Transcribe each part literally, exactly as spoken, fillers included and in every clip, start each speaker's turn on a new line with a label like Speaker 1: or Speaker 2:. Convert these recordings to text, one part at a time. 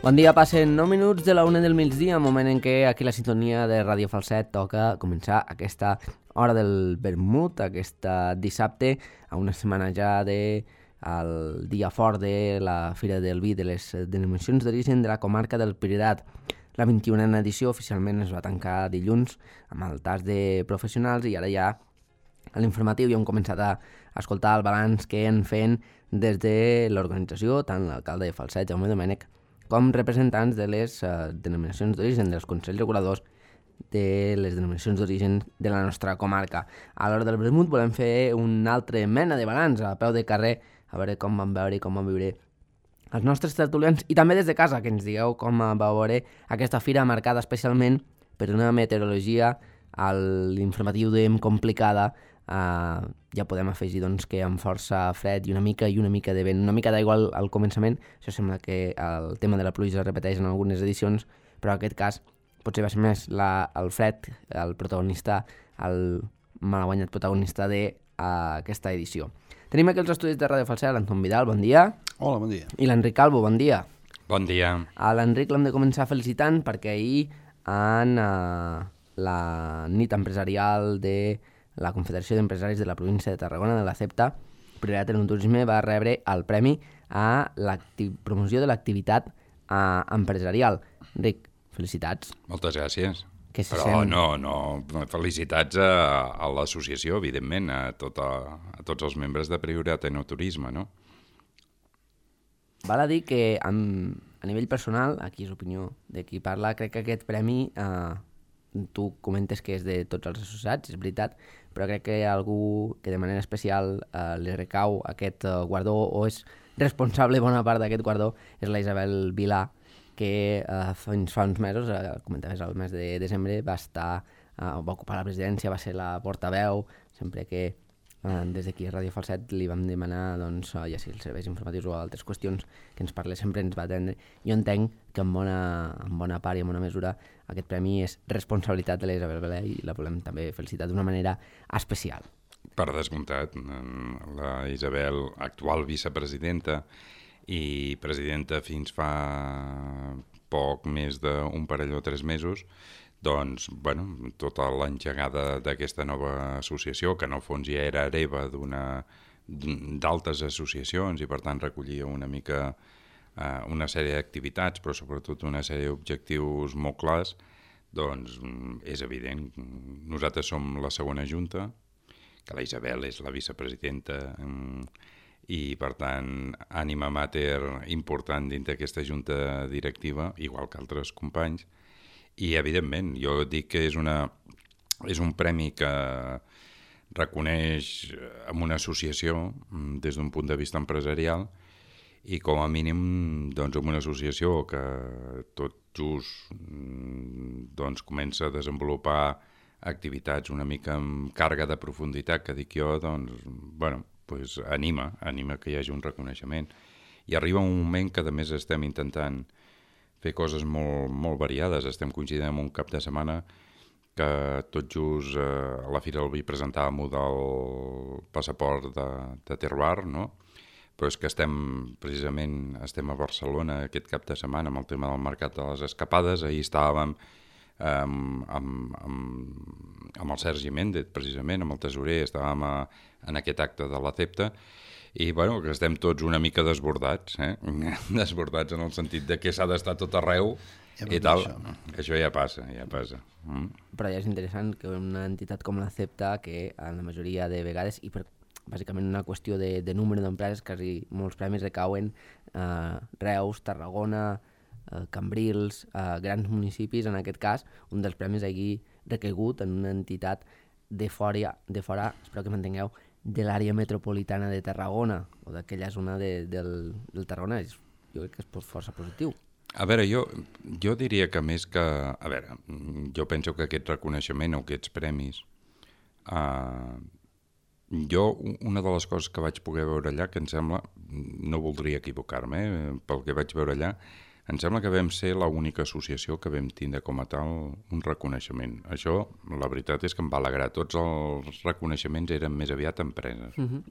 Speaker 1: Bon dia, passen nou minuts de la una del migdia, moment en què aquí la sintonia de Ràdio Falset toca començar aquesta hora del vermut, aquesta dissabte, a una setmana ja de el dia fort de la Fira del Vi de les denominacions d'origen de la comarca del Priorat. La vint-i-unena edició oficialment es va tancar dilluns amb el tas de professionals i ara ja a l'informatiu ja hem començat a escoltar el balanç que en feien des de l'organització, tant l'alcalde de Falset, Jaume Domènech, com representants de les uh, denominacions d'origen, dels consells reguladors de les denominacions d'origen de la nostra comarca. A l'hora del vermut volem fer un altre mena de balanç a peu de carrer, a veure com van veure i com van viure els nostres tertulians i també des de casa, que ens digueu com va veure aquesta fira marcada especialment per una meteorologia a l'informatiu dèiem complicada. Uh, ja podem afegir doncs, que amb força fred i una mica i una mica de vent, una mica d'aigua al, al començament. Això sembla que el tema de la pluja es repeteix en algunes edicions, però en aquest cas potser va ser més la, el fred, el protagonista, el malaguanyat protagonista d'aquesta edició. Tenim aquí els estudis de Ràdio Falset, l'Anton Vidal, bon dia.
Speaker 2: Hola, bon dia.
Speaker 1: I l'Enric Calvo, bon dia.
Speaker 3: Bon dia.
Speaker 1: A l'Enric l'hem de començar felicitant perquè ahir en uh, la nit empresarial de la Confederació d'Empresaris de la província de Tarragona, de la CEPTA, Priorat en Turisme, va rebre el premi a la promoció de l'activitat uh, empresarial. Enric, felicitats.
Speaker 3: Moltes gràcies.
Speaker 1: Què se
Speaker 3: Però
Speaker 1: sent?
Speaker 3: no, no, felicitats a, a l'associació, evidentment, a, tota, a tots els membres de Priorat en Turisme, no?
Speaker 1: Val a dir que amb, a nivell personal, aquí és opinió de qui parla, crec que aquest premi, eh, tu comentes que és de tots els associats, és veritat, però crec que algú que de manera especial eh, li recau aquest eh, guardó o és responsable bona part d'aquest guardó és la Isabel Vilà, que eh, fins fa uns mesos, eh, comentaves el mes de desembre, va estar, eh, va ocupar la presidència, va ser la portaveu, sempre que eh, des d'aquí a Ràdio Falset li vam demanar doncs, ja sigui els serveis informatius o altres qüestions que ens parlés, sempre ens va atendre. Jo entenc que en bona, en bona part i en bona mesura aquest premi és responsabilitat de la Isabel Vilà i la volem també felicitar d'una manera especial.
Speaker 3: Per descomptat, la Isabel, actual vicepresidenta i presidenta fins fa poc més d'un parell o tres mesos, doncs, bueno, tota l'engegada d'aquesta nova associació, que en el fons ja era hereva d'una d'altres associacions i per tant recollia una mica eh, una sèrie d'activitats, però sobretot una sèrie d'objectius molt clars, doncs és evident. Nosaltres som la segona junta, que la Isabel és la vicepresidenta i per tant ànima mater important dins d'aquesta junta directiva, igual que altres companys. I, evidentment, jo dic que és, una, és un premi que reconeix amb una associació des d'un punt de vista empresarial i, com a mínim, doncs, amb una associació que tot just doncs, comença a desenvolupar activitats una mica amb càrrega de profunditat, que dic jo, doncs, bueno, pues anima, anima que hi hagi un reconeixement. I arriba un moment que, a més, estem intentant fer coses molt, molt variades. Estem coincidint en un cap de setmana que tot just eh, a la Fira del Vi presentàvem del passaport de, de Terroir, no? Però és que estem, precisament, estem a Barcelona aquest cap de setmana amb el tema del mercat de les escapades. Ahir estàvem eh, amb, amb, amb, amb el Sergi Méndez, precisament, amb el tesorer, estàvem a, en aquest acte de la CEPTA. I, bueno, que estem tots una mica desbordats, eh? Desbordats en el sentit de que s'ha d'estar tot arreu ja i tal. Això. Això ja passa, ja passa. Mm.
Speaker 1: Però ja és interessant que una entitat com la CEPTA, que en la majoria de vegades, i per bàsicament una qüestió de, de número d'empreses, quasi molts premis recauen eh, Reus, Tarragona, eh, Cambrils, eh, grans municipis, en aquest cas, un dels premis hagi recaigut en una entitat de fora, de fora, espero que m'entengueu, de l'àrea metropolitana de Tarragona o d'aquella zona de, del, del Tarragona. Jo crec que és força positiu.
Speaker 3: A veure, jo, jo diria que més que... A veure, jo penso que aquest reconeixement o aquests premis... Eh, jo, una de les coses que vaig poder veure allà, que em sembla... No voldria equivocar-me, eh, pel que vaig veure allà, em sembla que vam ser l'única associació que vam tindre com a tal un reconeixement. Això, la veritat és que em va alegrar. Tots els reconeixements eren més aviat empreses. Uh-huh.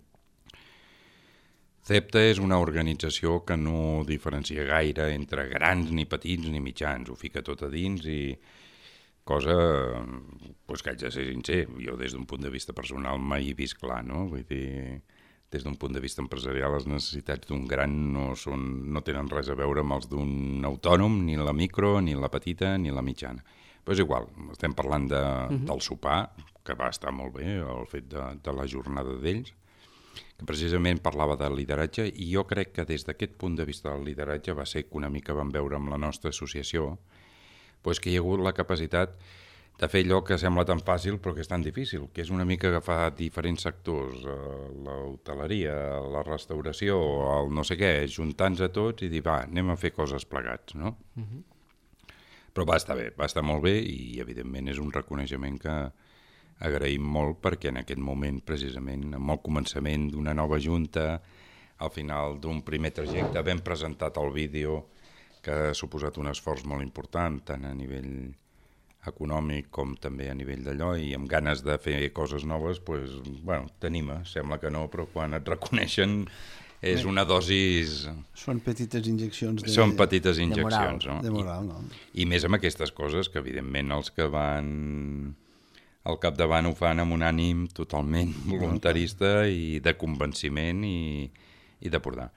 Speaker 3: CEPTA és una organització que no diferencia gaire entre grans, ni petits, ni mitjans. Ho fica tot a dins i cosa pues, que haig de ser sincer. Jo des d'un punt de vista personal mai he vist clar, no? Vull dir, des d'un punt de vista empresarial les necessitats d'un gran no, són, no tenen res a veure amb els d'un autònom, ni la micro, ni la petita, ni la mitjana. Però és igual, estem parlant de, uh-huh. del sopar, que va estar molt bé, el fet de, de la jornada d'ells, que precisament parlava de lideratge, i jo crec que des d'aquest punt de vista del lideratge va ser que una mica vam veure amb la nostra associació pues que hi ha hagut la capacitat de fer allò que sembla tan fàcil però que és tan difícil, que és una mica agafar diferents sectors, l'hoteleria, la restauració, el no sé què, juntar-nos a tots i dir, va, anem a fer coses plegats, no? Uh-huh. Però va estar bé, va estar molt bé i evidentment és un reconeixement que agraïm molt perquè en aquest moment, precisament, amb el començament d'una nova junta, al final d'un primer trajecte, vam presentat el vídeo que ha suposat un esforç molt important, tant a nivell econòmic com també a nivell d'allò, i amb ganes de fer coses noves, pues, bueno, t'anima, sembla que no, però quan et reconeixen és una dosis...
Speaker 2: Són petites injeccions de...
Speaker 3: Són petites injeccions,
Speaker 2: de moral, no? De moral, no?
Speaker 3: I, I més amb aquestes coses que, evidentment, els que van al capdavant ho fan amb un ànim totalment voluntarista i de convenciment i, i de portar.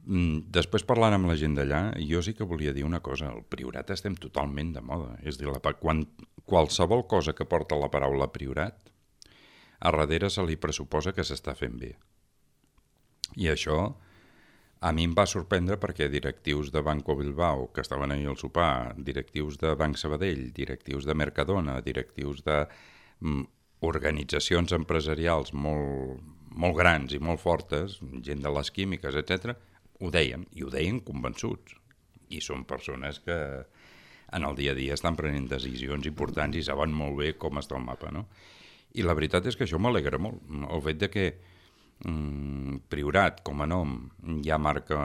Speaker 3: Després, parlant amb la gent d'allà, jo sí que volia dir una cosa. El Priorat estem totalment de moda. És a dir, la, quan qualsevol cosa que porta la paraula Priorat, a darrere se li pressuposa que s'està fent bé. I això a mi em va sorprendre perquè directius de Banco Bilbao, que estaven ahir al sopar, directius de Banc Sabadell, directius de Mercadona, directius de mm, organitzacions empresarials molt, molt grans i molt fortes, gent de les químiques, etcètera, ho deien, i ho deien convençuts. I són persones que en el dia a dia estan prenent decisions importants i saben molt bé com està el mapa, no? I la veritat és que això m'alegra molt. El fet de que mm, Priorat, com a nom, ja marca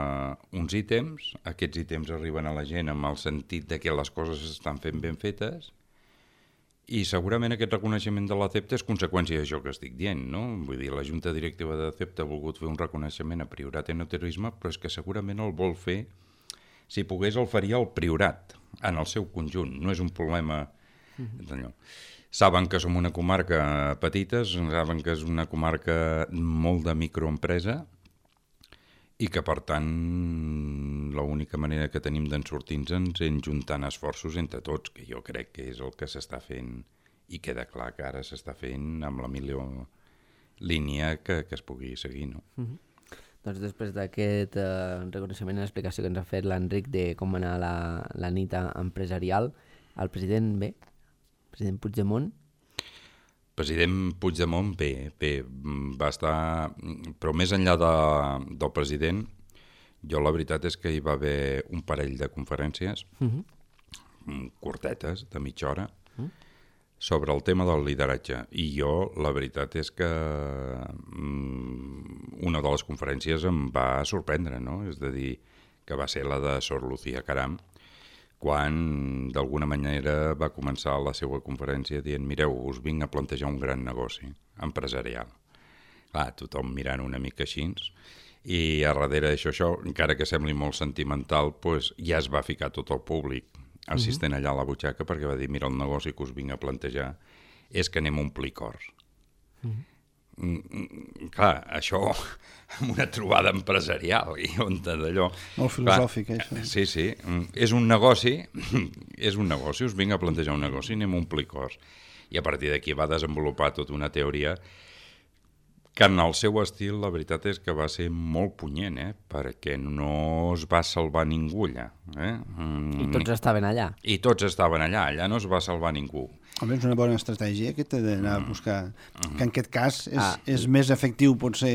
Speaker 3: uns ítems, aquests ítems arriben a la gent amb el sentit de que les coses estan fent ben fetes, i segurament aquest reconeixement de la CEPTA és conseqüència d'això que estic dient, no? Vull dir, la Junta Directiva de CEPTA ha volgut fer un reconeixement a Priorat Enoturisme, però és que segurament el vol fer, si pogués el faria el Priorat, en el seu conjunt. No és un problema d'allò. Saben que som una comarca petita, saben que és una comarca molt de microempresa i que, per tant, l'única manera que tenim d'en sortir-nos és juntant esforços entre tots, que jo crec que és el que s'està fent i queda clar que ara s'està fent amb la millor línia que, que es pugui seguir, no?
Speaker 1: Mm-hmm. Doncs després d'aquest eh, reconeixement i l'explicació que ens ha fet l'Enric de com va anar la, la nit empresarial, el president bé, el president Puigdemont,
Speaker 3: president Puigdemont, bé, bé, va estar... Però més enllà de, del president, jo la veritat és que hi va haver un parell de conferències, uh-huh. curtetes, de mitja hora, uh-huh. sobre el tema del lideratge. I jo, la veritat és que um, una de les conferències em va sorprendre, no? És a dir, que va ser la de Sor Lucía Caram, quan d'alguna manera va començar la seva conferència dient, mireu, us vinc a plantejar un gran negoci empresarial. Clar, tothom mirant una mica així, i a darrere d'això, això, encara que sembli molt sentimental, pues, ja es va ficar tot el públic assistent allà a la butxaca perquè va dir, mira, el negoci que us vinc a plantejar és que anem a omplir cors. Mm-hmm. Mm, clar, això amb una trobada empresarial i on d'allò...
Speaker 2: Molt filosòfic, clar, això.
Speaker 3: Sí, sí, és un negoci, és un negoci, us vinc a plantejar un negoci, anem a omplir cors. I a partir d'aquí va desenvolupar tota una teoria que en el seu estil la veritat és que va ser molt punyent, eh? Perquè no es va salvar ningú allà. Eh?
Speaker 1: Mm, I tots estaven allà.
Speaker 3: I tots estaven allà, allà no es va salvar ningú.
Speaker 2: Home, és una bona estratègia aquesta d'anar a buscar, mm. que en aquest cas és, ah. és més efectiu potser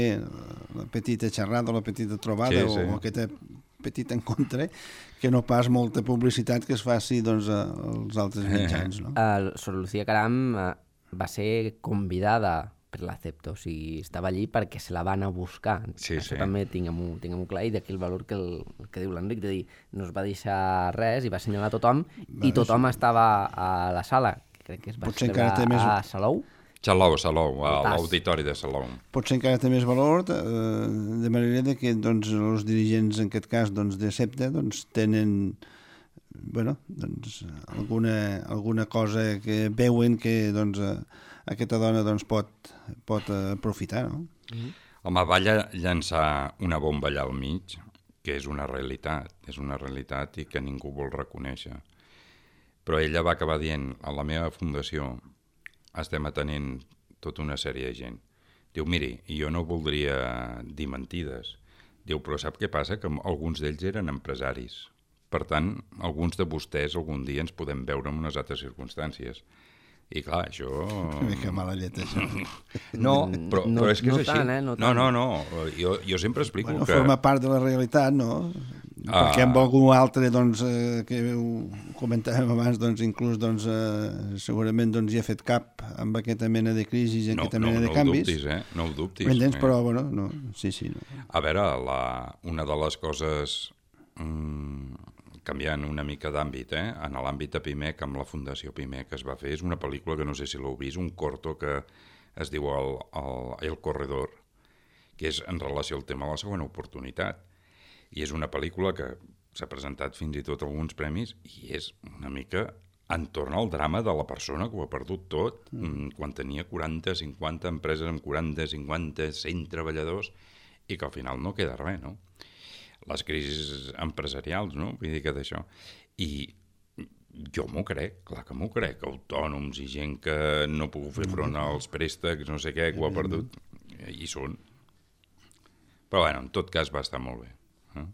Speaker 2: la petita xerrada o la petita trobada, sí, sí. o aquesta petit encontre, que no pas molta publicitat que es faci doncs, als altres mitjans. No?
Speaker 1: Uh, Sor Lucía Caram uh, va ser convidada per la CEPTA, o sigui, estava allí perquè se la van a buscar.
Speaker 3: Sí,
Speaker 1: Això
Speaker 3: sí.
Speaker 1: també tinguem-ho tinguem clar, i d'aquí el valor que, el, el que diu l'Enric, de dir, no es va deixar res i va assenyalar tothom, va, i tothom sí. estava a la sala, que crec que es va celebrar més... a Salou.
Speaker 3: Salou, Salou, a l'auditori de Salou.
Speaker 2: Potser encara té més valor, eh, de manera de que doncs, els dirigents, en aquest cas, doncs, de SEPTA, doncs, tenen bueno, doncs, alguna, alguna cosa que veuen que doncs, aquesta dona doncs, pot, pot aprofitar, no?
Speaker 3: Mm-hmm. Home, va llançar una bomba allà al mig, que és una realitat, és una realitat i que ningú vol reconèixer. Però ella va acabar dient, a la meva fundació estem atenent tota una sèrie de gent. Diu, miri, jo no voldria dir mentides. Diu, però sap què passa? Que alguns d'ells eren empresaris. Per tant, alguns de vostès algun dia ens podem veure en unes altres circumstàncies. I clar, això...
Speaker 2: Una mica mala llet, això.
Speaker 3: No, però,
Speaker 1: no,
Speaker 3: però és que
Speaker 1: no
Speaker 3: és així.
Speaker 1: Tant, eh? No,
Speaker 3: no, no, no. Jo, jo sempre explico
Speaker 2: bueno,
Speaker 3: que...
Speaker 2: Forma part de la realitat, no? Ah. Perquè amb algú altre, doncs, eh, que ho comentàvem abans, doncs, inclús, doncs, eh, segurament doncs, hi ha fet cap amb aquesta mena de crisi i aquesta
Speaker 3: no,
Speaker 2: mena
Speaker 3: no,
Speaker 2: de canvis.
Speaker 3: No ho dubtis, eh? No ho dubtis.
Speaker 2: M'entens?
Speaker 3: Eh?
Speaker 2: Però, bueno, no. Sí, sí. No.
Speaker 3: A veure, la, una de les coses... Mmm, canviant una mica d'àmbit, eh? En l'àmbit de Pimec, amb la Fundació Pimec que es va fer, és una pel·lícula que no sé si l'heu vist, un corto que es diu El, el, el Corredor, que és en relació al tema de la segona oportunitat. I és una pel·lícula que s'ha presentat fins i tot alguns premis i és una mica entorn al drama de la persona que ho ha perdut tot, mm. quan tenia quaranta, cinquanta empreses amb quaranta, cinquanta, cent treballadors i que al final no queda res, no? Les crisis empresarials, no? Vull dir que d'això. I jo m'ho crec, clar que m'ho crec, autònoms i gent que no ha pogut fer front als préstecs, no sé què, que ho ha perdut, hi són. Però, bueno, en tot cas va estar molt bé. Eh?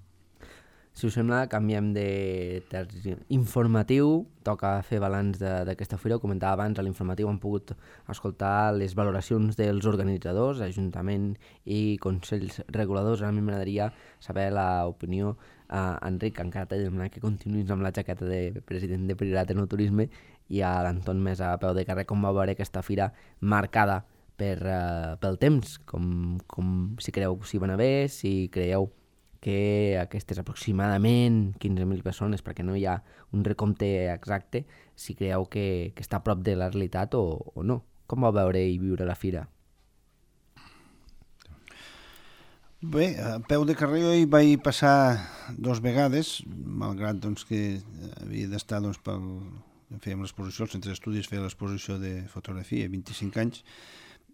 Speaker 1: Si us sembla, canviem de terç informatiu, toca fer balanç d'aquesta fira. Ho comentava abans, a l'informatiu hem pogut escoltar les valoracions dels organitzadors, Ajuntament i Consells Reguladors. A mi m'agradaria saber l'opinió. Uh, Enric, encara t'he de demanar que continuïs amb la jaqueta de president de Priorat en el Turisme, i a l'Anton més a peu de carrer, com va veure aquesta fira marcada per, uh, pel temps, com, com si creieu que s'hi va anar bé, si creieu que aquestes aproximadament quinze mil persones, perquè no hi ha un recompte exacte, si creieu que, que està a prop de la realitat o, o no. Com va veure i viure la fira?
Speaker 2: Bé, a peu de carrer jo hi vaig passar dos vegades, malgrat doncs, que havia d'estar doncs, pel... fèiem l'exposició, el Centre d'Estudis feia l'exposició de fotografia, vint-i-cinc anys,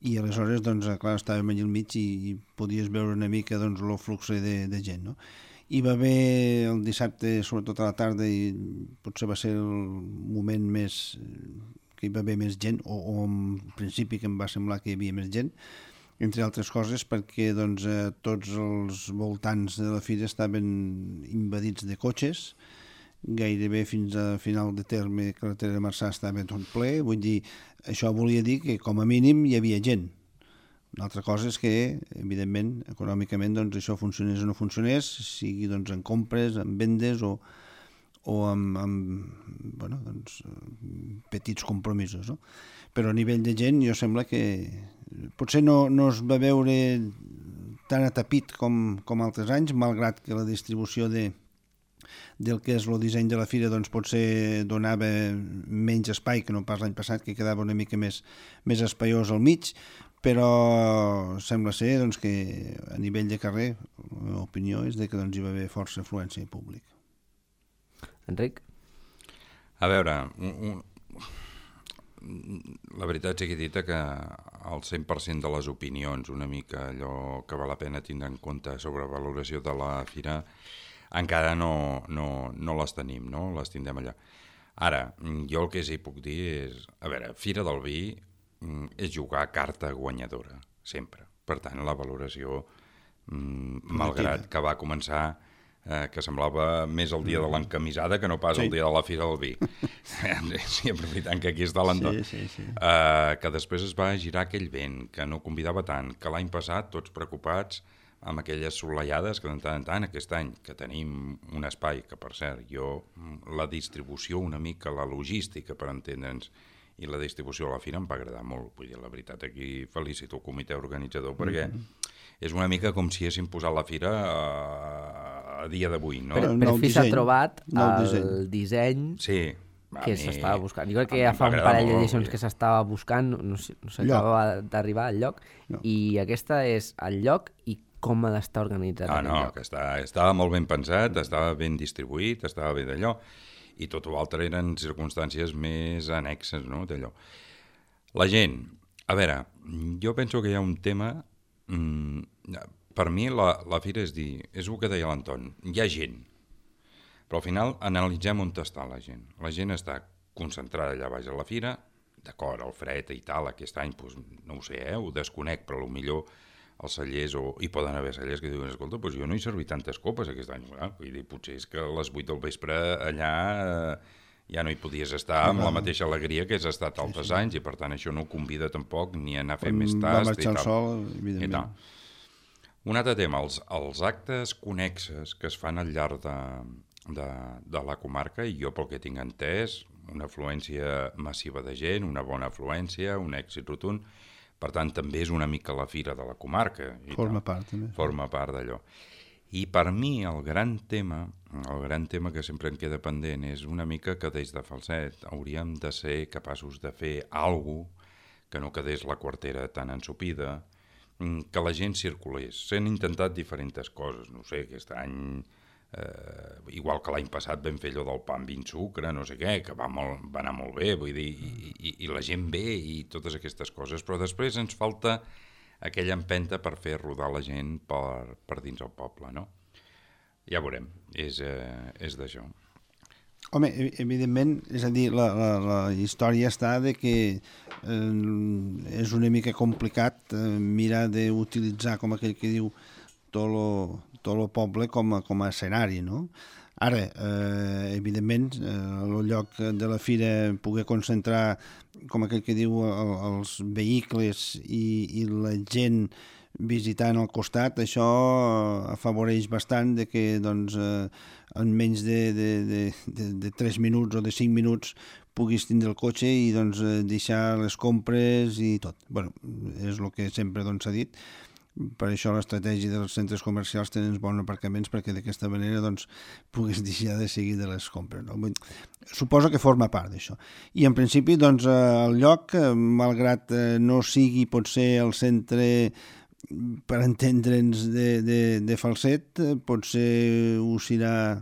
Speaker 2: i aleshores, doncs, clar, estàvem allà al mig i, i podies veure una mica doncs, el flux de, de gent, no? Hi va haver el dissabte, sobretot a la tarda, i potser va ser el moment més que hi va haver més gent, o, o en principi que em va semblar que hi havia més gent, entre altres coses perquè doncs, eh, tots els voltants de la fira estaven invadits de cotxes, gairebé fins a final de terme carretera de Marçà estava tot ple, vull dir, això volia dir que com a mínim hi havia gent. Una altra cosa és que, evidentment, econòmicament, doncs, això funcionés o no funcionés, sigui doncs, en compres, en vendes o, o amb, amb bueno, doncs, petits compromisos, no? Però a nivell de gent jo sembla que potser no, no es va veure tan atapit com, com altres anys, malgrat que la distribució de del que és el disseny de la fira doncs potser donava menys espai que no pas l'any passat, que quedava una mica més, més espaiós al mig, però sembla ser doncs, que a nivell de carrer la meva opinió és de que doncs, hi va haver força afluència públic.
Speaker 1: Enric?
Speaker 3: A veure, un, un, la veritat sigui dita que el cent per cent de les opinions, una mica allò que val la pena tindre en compte sobre valoració de la fira, encara no, no, no les tenim, no? Les tindrem allà. Ara, jo el que sí puc dir és... A veure, Fira del Vi és jugar a carta guanyadora, sempre. Per tant, la valoració, malgrat que va començar, eh, que semblava més el dia de l'encamisada que no pas sí. el dia de la Fira del Vi. Sí, aprofitant que aquí està l'Anton. Sí, sí, sí. Eh, que després es va girar aquell vent, que no convidava tant, que l'any passat, tots preocupats, amb aquelles solellades que de tant en tant aquest any que tenim un espai que per cert jo la distribució una mica, la logística per entendre'ns i la distribució a la fira em va agradar molt, vull dir la veritat aquí felicito el comitè organitzador perquè mm-hmm. és una mica com si haguéssim posat la fira a, a dia d'avui, no?
Speaker 1: Però per fi s'ha trobat el disseny, disseny
Speaker 3: sí.
Speaker 1: que mi... s'estava buscant. Jo crec que ja fa un parell d'edicions que s'estava buscant, no, no s'acabava d'arribar al lloc, no. I aquesta és el lloc i com ha d'estar organitzat
Speaker 3: ah,
Speaker 1: el
Speaker 3: no,
Speaker 1: lloc.
Speaker 3: Que està, estava molt ben pensat, estava ben distribuït, estava bé d'allò, i tot l'altre eren circumstàncies més annexes, no?, d'allò. La gent, a veure, jo penso que hi ha un tema... Mmm, per mi la, la fira és dir, és el que deia l'Anton, hi ha gent, però al final analitzem on està la gent. La gent està concentrada allà baix a la fira, d'acord, el fred i tal, aquest any, doncs, no ho sé, eh, ho desconec, però potser els cellers, o hi poden haver cellers que diuen, escolta, doncs jo no he servit tantes copes aquest any. Ah, vull dir, potser és que a les vuit del vespre allà eh, ja no hi podies estar amb la mateixa alegria que has estat altres sí, sí. anys, i per tant això no convida tampoc ni a anar a fer més tast.
Speaker 2: Va marxar el sol, evidentment.
Speaker 3: Un altre tema, els, els actes connexes que es fan al llarg de, de, de la comarca, i jo pel que tinc entès, una afluència massiva de gent, una bona afluència, un èxit rotund, per tant també és una mica la fira de la comarca. I
Speaker 2: Forma
Speaker 3: tal.
Speaker 2: part, també.
Speaker 3: Forma part d'allò. I per mi el gran tema, el gran tema que sempre em queda pendent és una mica que des de Falset hauríem de ser capaços de fer alguna cosa que no quedés la quartera tan ensopida, que la gent circulés. S'han intentat diferents coses, no sé, aquest any, eh, igual que l'any passat vam fer allò del pa amb vint sucre, no sé què, que va, molt, va anar molt bé, vull dir, i, i, i la gent bé i totes aquestes coses, però després ens falta aquella empenta per fer rodar la gent per, per dins el poble, no? Ja veurem, és, eh, és d'això.
Speaker 2: Home, evidentment, és a dir, la, la, la història està de que eh, és una mica complicat eh, mirar d'utilitzar, com aquell que diu, tot lo, tot lo poble com a, com a escenari, no? Ara, eh, evidentment, eh, el lloc de la fira poder concentrar, com aquell que diu, el, els vehicles i, i la gent visitant al costat, això afavoreix bastant de que doncs, eh, en menys de, de, de, de, de tres minuts o de cinc minuts puguis tindre el cotxe i doncs, deixar les compres i tot. Bueno, és el que sempre s'ha doncs, dit. Per això l'estratègia dels centres comercials tenen bons aparcaments perquè d'aquesta manera doncs, puguis deixar de seguir de les compres. No? Suposo que forma part d'això. I en principi doncs, el lloc, malgrat no sigui potser el centre per entendre'ns de, de, de Falset, potser ho serà,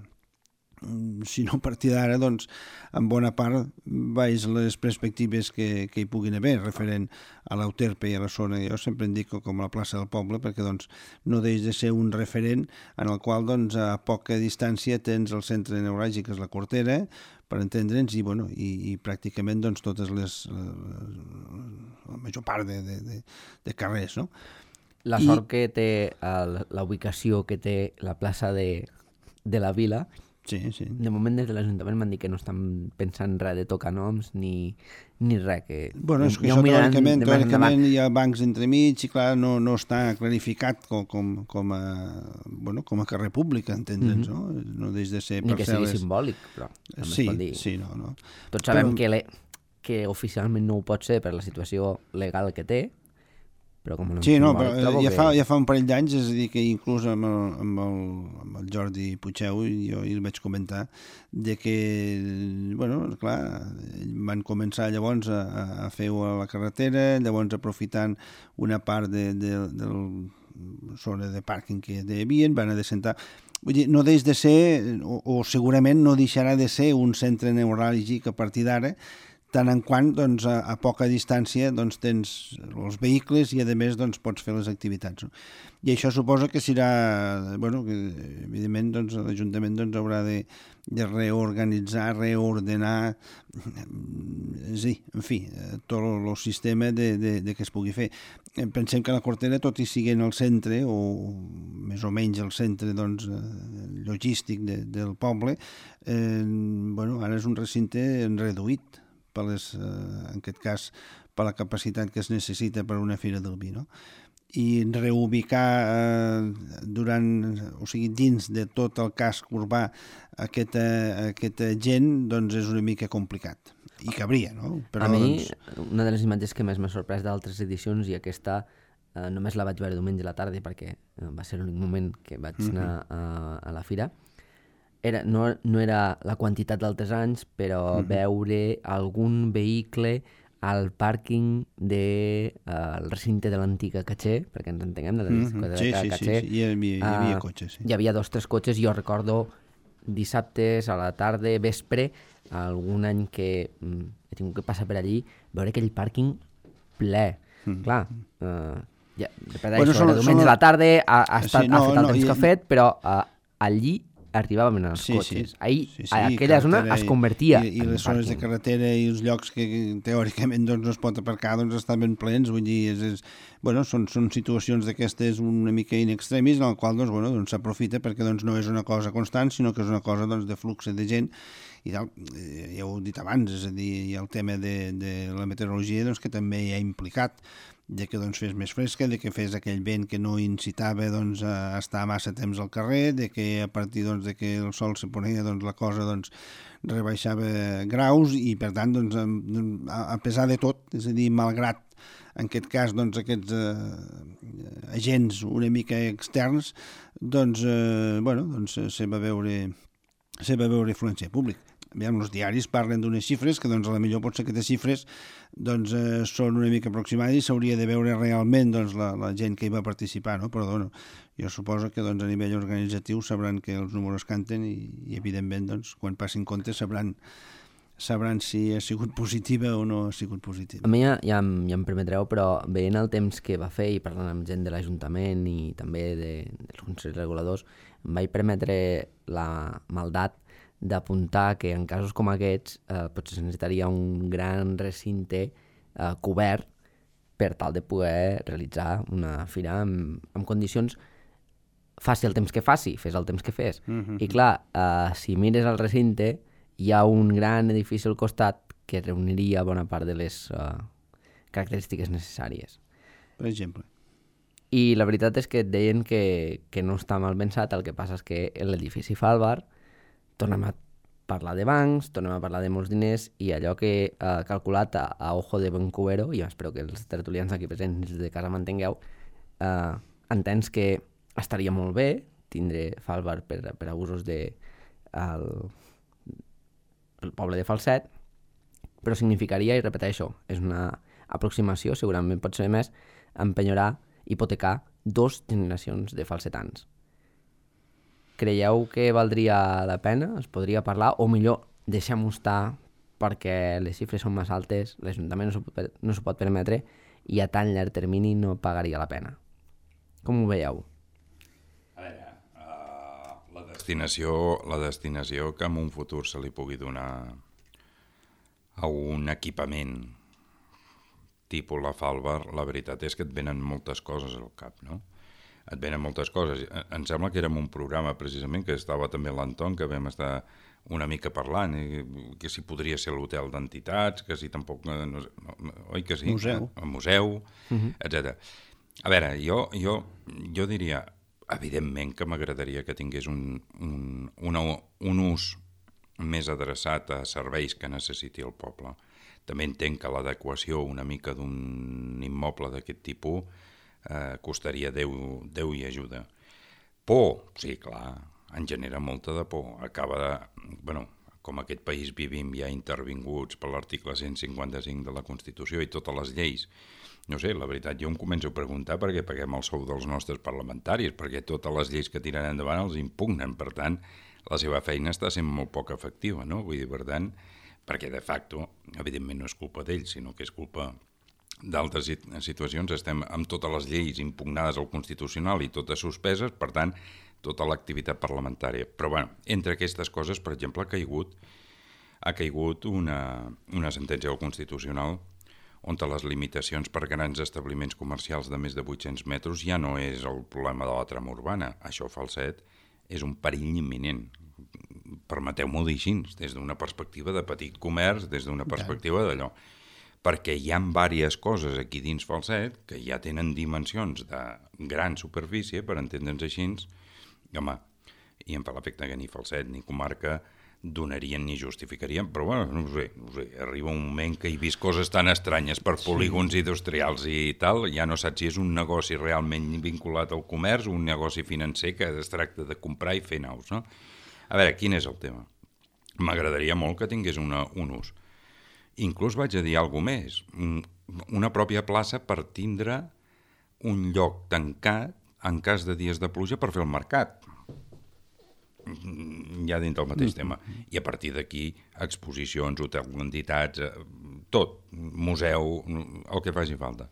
Speaker 2: si no a partir d'ara, doncs, en bona part baix les perspectives que, que hi puguin haver, referent a l'Euterpe i a la zona. Jo sempre indico com a la plaça del poble, perquè doncs, no deix de ser un referent en el qual doncs, a poca distància tens el centre neuràlgic, que és la Cortera, per entendre'ns, i, bueno, i, i pràcticament doncs, totes les, la major part de, de, de, de carrers, no?
Speaker 1: La sort I... que té el, la ubicació que té la plaça de, de la vila.
Speaker 2: Sí, sí.
Speaker 1: De moment des de l'Ajuntament m'han dit que no estan pensant res de tocar noms ni, ni res. Que
Speaker 2: bueno, és que ja això teòricament, teòricament hi ha bancs entremig i clar, no, no està clarificat com, com, com, a, bueno, com a carrer públic, entendre'ns, mm-hmm. no? No deix de ser
Speaker 1: ni
Speaker 2: parcel·les...
Speaker 1: que sigui simbòlic, però també
Speaker 2: sí,
Speaker 1: es pot dir.
Speaker 2: Sí, no, no.
Speaker 1: Tots sabem
Speaker 2: però...
Speaker 1: que, le, que oficialment no ho pot ser per la situació legal que té, però com no
Speaker 2: sí, no, però ja,
Speaker 1: que...
Speaker 2: fa, ja fa un parell d'anys, és a dir, que inclús amb el, amb el, amb el Jordi Puigeu jo hi vaig comentar de que, bueno, clar, van començar llavors a, a fer la carretera, llavors aprofitant una part de, de, del zona de pàrquing que hi havia, van a descentar. Vull dir, no deix de ser, o, o segurament no deixarà de ser un centre neuràlgic a partir d'ara, tant en quant doncs, a, a poca distància doncs, tens els vehicles i a més doncs, pots fer les activitats. No? I això suposa que serà, bueno, que evidentment doncs, l'Ajuntament doncs, haurà de, de reorganitzar, reordenar, sí, en fi, tot el sistema de, de, de que es pugui fer. Pensem que la Cortera, tot i sigui en el centre, o més o menys el centre doncs, logístic de, del poble, eh, bueno, ara és un recinte reduït, per les, en aquest cas, per la capacitat que es necessita per una fira del vi, no? I reubicar eh, durant, o sigui, dins de tot el casc urbà aquesta, aquesta gent, doncs és una mica complicat. I cabria, no? Però,
Speaker 1: a mi,
Speaker 2: doncs...
Speaker 1: una de les imatges que més m'ha sorprès d'altres edicions, i aquesta eh, només la vaig veure diumenge a la tarda perquè va ser l'únic moment que vaig anar a, a la fira, era, no, no era la quantitat d'altres anys, però mm-hmm. veure algun vehicle al pàrquing del de, uh, recinte de l'antiga Caché, perquè ens entenguem, de la discoteca
Speaker 2: sí, sí,
Speaker 1: Caché.
Speaker 2: Sí, sí, hi havia, hi havia cotxes, sí.
Speaker 1: Hi havia dos o tres cotxes, jo recordo dissabtes a la tarda, vespre, algun any que mm, he tingut que passar per allí, veure aquell pàrquing ple. Mm. Clar, uh, ja, repeteixo, bueno, són, era diumenge a la tarda, ha, ha, estat, sí, no, ha fet el no, temps i... que ha fet, però uh, allí arribàvem en els sí, cotxes. Sí. Ahir, sí, sí, aquella zona es convertia
Speaker 2: i, i en les zones de carretera i els llocs que teòricament doncs, no es pot aparcar doncs, estan ben plens. Vull dir, és, és, bueno, són, són situacions d'aquestes una mica in extremis en el qual doncs, bueno, doncs, s'aprofita perquè doncs, no és una cosa constant, sinó que és una cosa doncs, de flux de gent i tal. Ja ho he dit abans, és a dir, hi ha el tema de, de la meteorologia doncs, que també hi ha implicat, de que doncs, fes més fresca, de que fes aquell vent que no incitava doncs, a estar massa temps al carrer, de que a partir doncs, de que el sol se ponia doncs, la cosa doncs, rebaixava graus i per tant doncs, a, a pesar de tot, és a dir, malgrat en aquest cas doncs, aquests eh, agents una mica externs doncs, eh, bueno, doncs se va veure se va veure influència pública. Aviam, els diaris parlen d'unes xifres que doncs, a la millor pot ser que aquestes xifres doncs, eh, són una mica aproximades i s'hauria de veure realment doncs, la, la gent que hi va participar, no? Però bueno, jo suposo que doncs, a nivell organitzatiu sabran que els números canten i, i evidentment doncs, quan passin comptes sabran, sabran si ha sigut positiva o no ha sigut positiva.
Speaker 1: A mi ja, ja, em, ja em permetreu, però veient el temps que va fer i parlant amb gent de l'Ajuntament i també de, dels consells reguladors, em vaig permetre la maldat d'apuntar que en casos com aquests eh, potser necessitaria un gran recinte eh, cobert per tal de poder realitzar una fira amb, amb condicions, faci el temps que faci, fes el temps que fes. Mm-hmm. I clar, eh, si mires el recinte, hi ha un gran edifici al costat que reuniria bona part de les eh, característiques necessàries.
Speaker 2: Per exemple.
Speaker 1: I la veritat és que et deien que, que no està mal pensat, el que passa és que l'edifici fa el bar, tornem a parlar de bancs, tornem a parlar de molts diners i allò que he eh, calculat a, a ojo de ben cubero, i espero que els tertulians aquí presents de casa m'entengueu, eh, entens que estaria molt bé tindre Falbar per, per a usos de el, el poble de Falset, però significaria, i repeteixo, és una aproximació, segurament pot ser més, empenyorar, hipotecar dos generacions de falsetans. Creieu que valdria la pena? Es podria parlar? O millor, deixem-ho estar perquè les xifres són més altes, l'Ajuntament no s'ho pot, no s'ho pot permetre i a tan llarg termini no pagaria la pena. Com ho veieu?
Speaker 3: A veure, uh, la destinació, la destinació que en un futur se li pugui donar a un equipament tipus la Falbar, la veritat és que et venen moltes coses al cap, no? Et venen moltes coses. Em sembla que érem un programa precisament que estava també l'Anton, que vam estar una mica parlant, i que si podria ser l'hotel d'entitats, que si tampoc... No, no, oi que sí?
Speaker 2: Museu.
Speaker 3: El museu, uh-huh. etcètera. A veure, jo, jo, jo diria, evidentment que m'agradaria que tingués un, un, una, un ús més adreçat a serveis que necessiti el poble. També entenc que l'adequació una mica d'un immoble d'aquest tipus Eh, costaria Déu, Déu i ajuda. Por, sí, clar, en genera molta de por. Acaba de... Bueno, com aquest país vivim ja intervinguts per l'article cent cinquanta-cinc de la Constitució i totes les lleis. No sé, la veritat, jo em començo a preguntar per què paguem el sou dels nostres parlamentaris, perquè totes les lleis que tiren endavant els impugnen. Per tant, la seva feina està sent molt poc efectiva, no? Vull dir, per tant, perquè de facto, evidentment no és culpa d'ells, sinó que és culpa d'altres situacions. Estem amb totes les lleis impugnades al Constitucional i totes suspeses, per tant, tota l'activitat parlamentària. Però, bueno, entre aquestes coses, per exemple, ha caigut, ha caigut una, una sentència del Constitucional on les limitacions per grans establiments comercials de més de vuit-cents metres ja no és el problema de la trama urbana. Això, Falset, és un perill imminent. Permeteu-m'ho dir així, des d'una perspectiva de petit comerç, des d'una perspectiva d'allò. Perquè hi ha diverses coses aquí dins Falset que ja tenen dimensions de gran superfície, per entendre'ns així, i home, i em fa l'efecte que ni Falset ni comarca donarien ni justificarien, però bueno, no sé, no sé, arriba un moment que he vist coses tan estranyes per polígons sí. industrials i tal, ja no saps si és un negoci realment vinculat al comerç o un negoci financer que es tracta de comprar i fer naus, no? A veure, quin és el tema? M'agradaria molt que tingués una, un ús. Inclús vaig a dir alguna més. Una pròpia plaça per tindre un lloc tancat en cas de dies de pluja per fer el mercat. Ja dins del mateix tema. I a partir d'aquí, exposicions, hotels d'entitats, tot, museu, el que faci falta.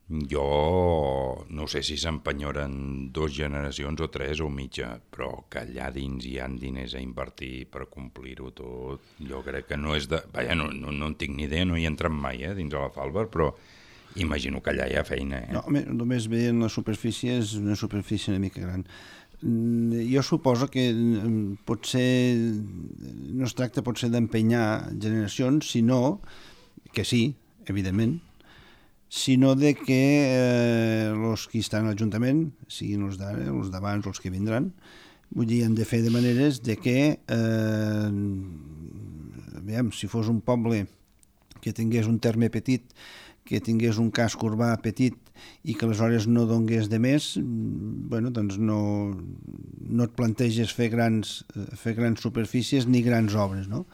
Speaker 3: Jo no sé si s'empenyoren dues generacions o tres o mitja, però que allà dins hi ha diners a invertir per complir-ho tot, jo crec que no és de... Vaja, no, no, no en tinc ni idea, no hi he entrat mai, eh, dins de la Falber, però imagino que allà hi ha feina. Eh?
Speaker 2: No, només veient la superfície és una superfície una mica gran. Jo suposo que potser no es tracta potser d'empenyar generacions, sinó que sí, evidentment, sinó de que els eh, que estan a l'Ajuntament, siguin els d'ara, els d'abans o els que vindran, vull dir, han de fer de maneres de que, eh, aviam, si fos un poble que tingués un terme petit, que tingués un casc urbà petit i que aleshores no donés de més, bueno, doncs no, no et planteges fer grans, fer grans superfícies ni grans obres, no?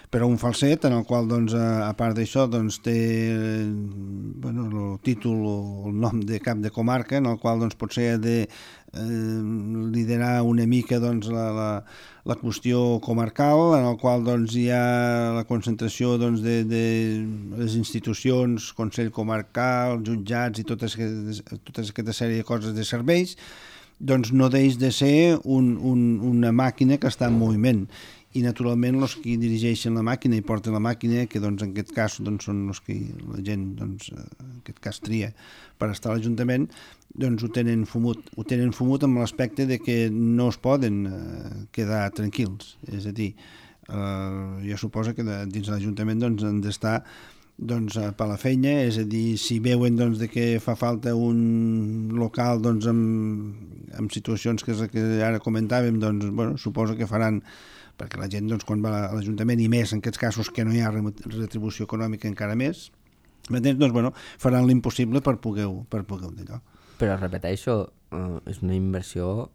Speaker 2: Però un falset en el qual, doncs, a part d'això, doncs, té bueno, el títol o el nom de cap de comarca, en el qual doncs, potser ha de eh, liderar una mica doncs, la, la, la qüestió comarcal, en el qual doncs, hi ha la concentració doncs, de, de les institucions, Consell Comarcal, jutjats i totes, tota aquesta sèrie de coses de serveis, doncs no deix de ser un, un, una màquina que està en moviment. I naturalment els que dirigeixen la màquina i porten la màquina, que doncs, en aquest cas doncs, són els que la gent doncs, en aquest cas tria per estar a l'Ajuntament, doncs ho tenen fumut, ho tenen fumut amb l'aspecte de que no es poden eh, quedar tranquils. És a dir, eh, jo suposo que de, dins de l'Ajuntament doncs, han d'estar doncs, per la feina, és a dir, si veuen doncs, de que fa falta un local doncs, amb, amb situacions que, que ara comentàvem, doncs, bueno, suposo que faran, perquè la gent doncs, quan va a l'Ajuntament, i més en aquests casos que no hi ha retribució econòmica encara més, doncs, bueno, faran l'impossible per poder-ho per poder d'allò.
Speaker 1: Però repeteixo, uh, és una inversió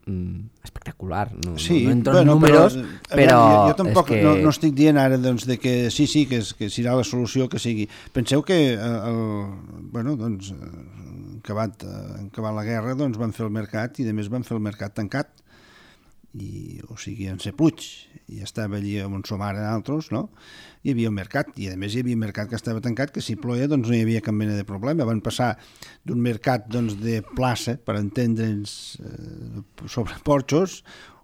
Speaker 1: mm, espectacular. No,
Speaker 2: sí,
Speaker 1: no entro
Speaker 2: bueno,
Speaker 1: en números,
Speaker 2: però,
Speaker 1: però...
Speaker 2: Jo, jo tampoc
Speaker 1: que...
Speaker 2: no, no estic dient ara doncs, de que sí, sí, que, és, que serà la solució que sigui. Penseu que el, bueno, doncs, en acabat, en acabat la guerra doncs, van fer el mercat i a més van fer el mercat tancat. I, o sigui, en ser Puig, i estava allí on som ara altres, no? Hi havia un mercat, i a més hi havia un mercat que estava tancat, que si ploia doncs no hi havia cap mena de problema. Van passar d'un mercat doncs, de plaça, per entendre'ns, eh, sobre porxos,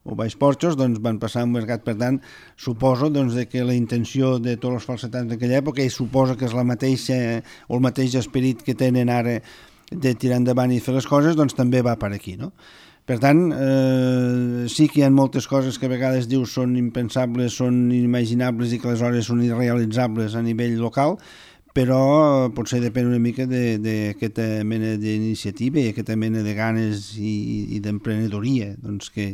Speaker 2: o baix porxos, doncs van passar a un mercat. Per tant, suposo doncs, de que la intenció de tots els falsetans d'aquella època, i suposo que és la mateixa, o el mateix esperit que tenen ara de tirar endavant i fer les coses, doncs també va per aquí, no? Per tant, eh, sí que hi ha moltes coses que a vegades dius són impensables, són inimaginables i que aleshores són irrealitzables a nivell local, però potser depèn una mica d'aquesta mena d'iniciativa i aquesta mena de ganes i, i d'emprenedoria doncs, que,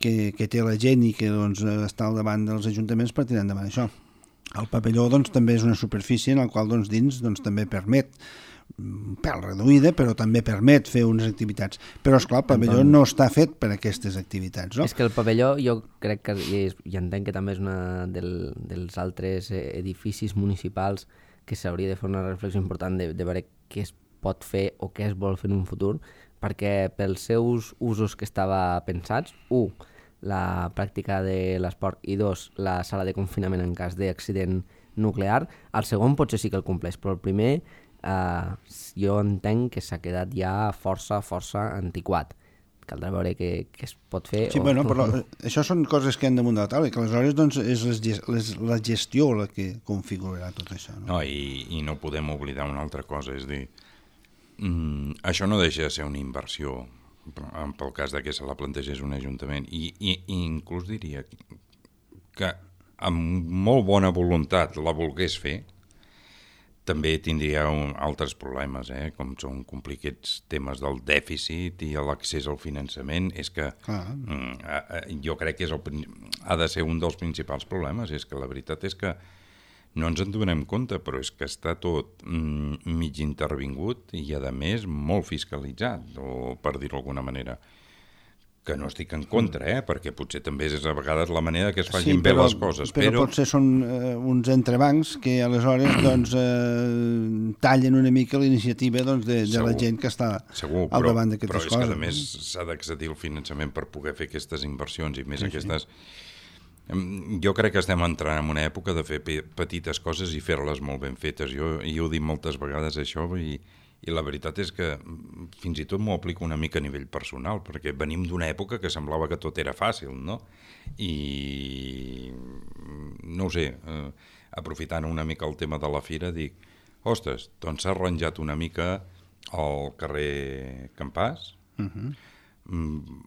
Speaker 2: que, que té la gent i que doncs, està al davant dels ajuntaments per tirar endavant això. El pavelló doncs, també és una superfície en la qual doncs, dins doncs, també permet un pèl reduïda, però també permet fer unes activitats. Però, esclar, el pavelló no està fet per a aquestes activitats, no?
Speaker 1: És que el pavelló, jo crec que, i, és, i entenc que també és una del, dels altres edificis municipals que s'hauria de fer una reflexió important de, de veure què es pot fer o què es vol fer en un futur, perquè pels seus usos que estava pensats, u, la pràctica de l'esport, i dos, la sala de confinament en cas d'accident nuclear, el segon potser sí que el compleix, però el primer Uh, jo entenc que s'ha quedat ja força, força antiquat. Caldrà veure què, què es pot fer.
Speaker 2: Sí,
Speaker 1: o...
Speaker 2: bueno, però això són coses que han damunt de la taula, que aleshores doncs, és les, les, la gestió la que configurarà tot això. No,
Speaker 3: no i, i no podem oblidar una altra cosa, és dir, mm, això no deixa de ser una inversió, pel cas de que se la plantegés un ajuntament, i, i, i inclús diria que amb molt bona voluntat la volgués fer, també tindria un, altres problemes, eh? Com són complicats temes del dèficit i l'accés al finançament. És que ah. mm, jo crec que és el, ha de ser un dels principals problemes. És que la veritat és que no ens en donem compte, però és que està tot mm, mig intervingut i, a més, molt fiscalitzat, o per dir-ho d'alguna manera. que no estic en contra, eh? Perquè potser també és a vegades la manera que es facin
Speaker 2: sí,
Speaker 3: bé
Speaker 2: però,
Speaker 3: les coses.
Speaker 2: Però,
Speaker 3: però
Speaker 2: potser són eh, uns entrebancs que aleshores doncs, eh, tallen una mica la iniciativa doncs, de, de la gent que està
Speaker 3: segur,
Speaker 2: al
Speaker 3: però,
Speaker 2: davant d'aquestes coses.
Speaker 3: Però és que a més s'ha d'accedir al finançament per poder fer aquestes inversions i més sí, aquestes... Sí. Jo crec que estem entrant en una època de fer petites coses i fer-les molt ben fetes. Jo, jo ho dic moltes vegades això i... I la veritat és que fins i tot m'ho aplico una mica a nivell personal, perquè venim d'una època que semblava que tot era fàcil, no? I, no ho sé, eh, aprofitant una mica el tema de la fira, dic, ostres, doncs s'ha arranjat una mica al carrer Campàs, uh-huh. mm,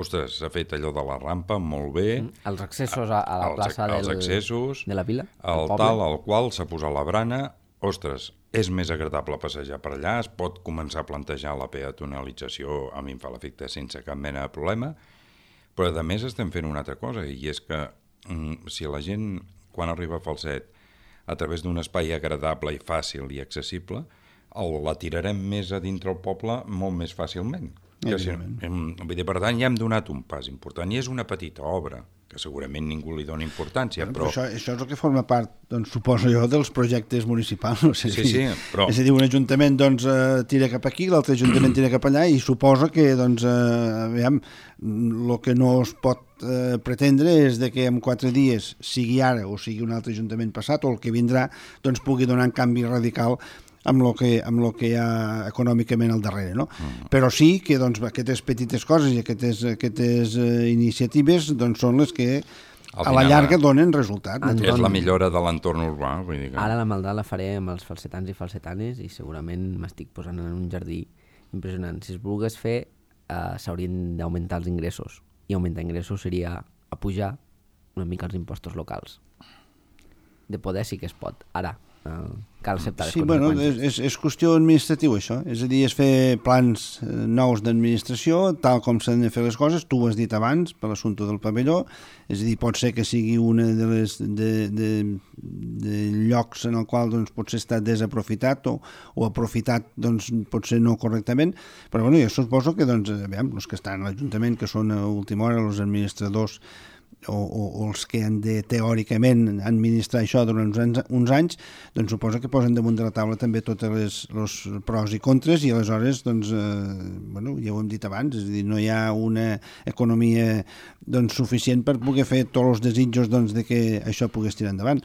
Speaker 3: ostres, s'ha fet allò de la rampa molt bé.
Speaker 1: Els accessos a, a la
Speaker 3: els,
Speaker 1: plaça
Speaker 3: els
Speaker 1: del,
Speaker 3: accessos,
Speaker 1: de la vila,
Speaker 3: el tal al qual s'ha posat la brana, ostres, és més agradable passejar per allà, es pot començar a plantejar la peatonalització, a mi em fa l'efecte sense cap mena de problema, però a més estem fent una altra cosa, i és que mm, si la gent, quan arriba a Falset, a través d'un espai agradable i fàcil i accessible, el, la tirarem més a dintre el poble molt més fàcilment. Que si, vull dir, per tant, ja hem donat un pas important, i és una petita obra, que segurament ningú li dona importància, bueno, però...
Speaker 2: però això, això és el que forma part, doncs, suposo jo, dels projectes municipals. No sé,
Speaker 3: sí, sí, però...
Speaker 2: És a dir, un ajuntament doncs, eh, tira cap aquí, l'altre ajuntament tira cap allà, i suposo que, doncs, eh, aviam, el que no es pot eh, pretendre és de que en quatre dies, sigui ara o sigui un altre ajuntament passat, o el que vindrà, doncs pugui donar un canvi radical amb el que, amb lo que hi ha econòmicament al darrere, no? Mm. Però sí que doncs, aquestes petites coses i aquestes, aquestes uh, iniciatives doncs, són les que a la llarga donen resultat.
Speaker 3: Anton, és la millora de l'entorn urbà. Vull dir que...
Speaker 1: Ara la maldà la faré amb els falsetans i falsetanes i segurament m'estic posant en un jardí impressionant. Si es volgués fer, uh, s'haurien d'augmentar els ingressos, i augmentar ingressos seria apujar una mica els impostos locals. De poder sí que es pot. Ara, cal acceptar les
Speaker 2: sí, bueno,
Speaker 1: conseqüències.
Speaker 2: És, és qüestió administrativa, això. És a dir, és fer plans nous d'administració, tal com s'han de fer les coses. Tu ho has dit abans, per l'assumpte del pavelló. És a dir, pot ser que sigui una de les de, de, de llocs en el qual doncs, potser està desaprofitat o, o aprofitat doncs, potser no correctament. Però bueno, jo suposo que doncs, aviam, els que estan a l'Ajuntament, que són a última hora, els administradors O, o, o els que han de teòricament administrar això durant uns anys, uns anys doncs suposo que posen damunt de la taula també tots els pros i contres, i aleshores doncs, eh, bueno, ja ho hem dit abans, és a dir, no hi ha una economia doncs, suficient per poder fer tots els desitjos doncs, de que això pogués tirar endavant.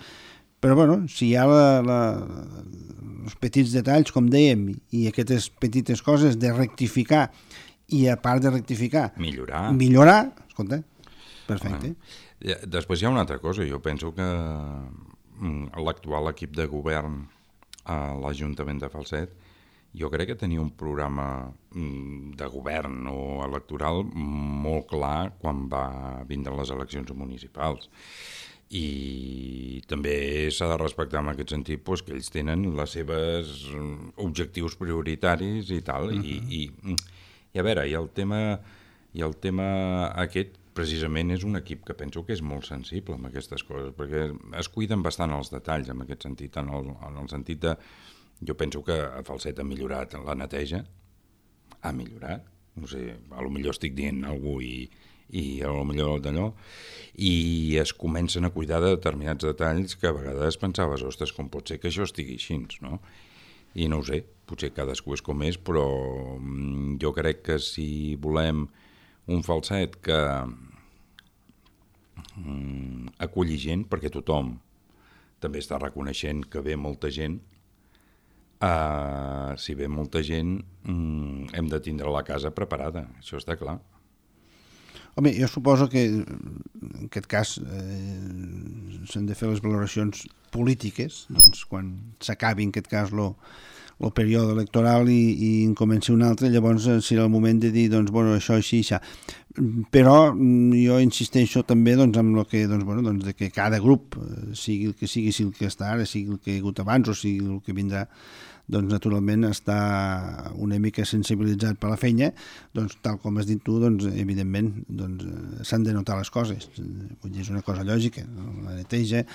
Speaker 2: Però bueno, si hi ha la, la, els petits detalls, com dèiem, i aquestes petites coses de rectificar, i a part de rectificar
Speaker 3: millorar,
Speaker 2: millorar escolta, perfecte.
Speaker 3: Bueno, després hi ha una altra cosa. Jo penso que l'actual equip de govern a l'Ajuntament de Falset, jo crec que tenia un programa de govern o electoral molt clar quan va vindre les eleccions municipals. I també s'ha de respectar en aquest sentit doncs, que ells tenen les seves objectius prioritaris i tal. Uh-huh. I, i, i a veure, i el tema, i el tema aquest precisament és un equip que penso que és molt sensible amb aquestes coses, perquè es cuiden bastant els detalls en aquest sentit, en el, en el sentit de... Jo penso que a Falset ha millorat la neteja, ha millorat, no sé, a lo millor estic dient alguna cosa i, i a lo millor d'allò, i es comencen a cuidar de determinats detalls que a vegades pensaves, ostres, com pot ser que això estigui així, no? I no ho sé, potser cadascú és com és, però jo crec que si volem un Falset que mm, aculli gent, perquè tothom també està reconeixent que ve molta gent, uh, si ve molta gent mm, hem de tindre la casa preparada, això està clar.
Speaker 2: Home, jo suposo que en aquest cas eh, s'han de fer les valoracions polítiques, doncs quan s'acabi en aquest cas lo el període electoral i, i en comenci un altre, llavors serà el moment de dir, doncs, bueno, això, així, això. Però jo insisteixo també doncs, amb el que, doncs, bueno, doncs, de que cada grup, sigui el que sigui, sigui el que està ara, sigui el que ha hagut abans o sigui el que vindrà, doncs, naturalment, està una mica sensibilitzat per la feina, doncs, tal com has dit tu, doncs, evidentment, doncs, s'han de notar les coses. Vull dir, és una cosa lògica, la neteja,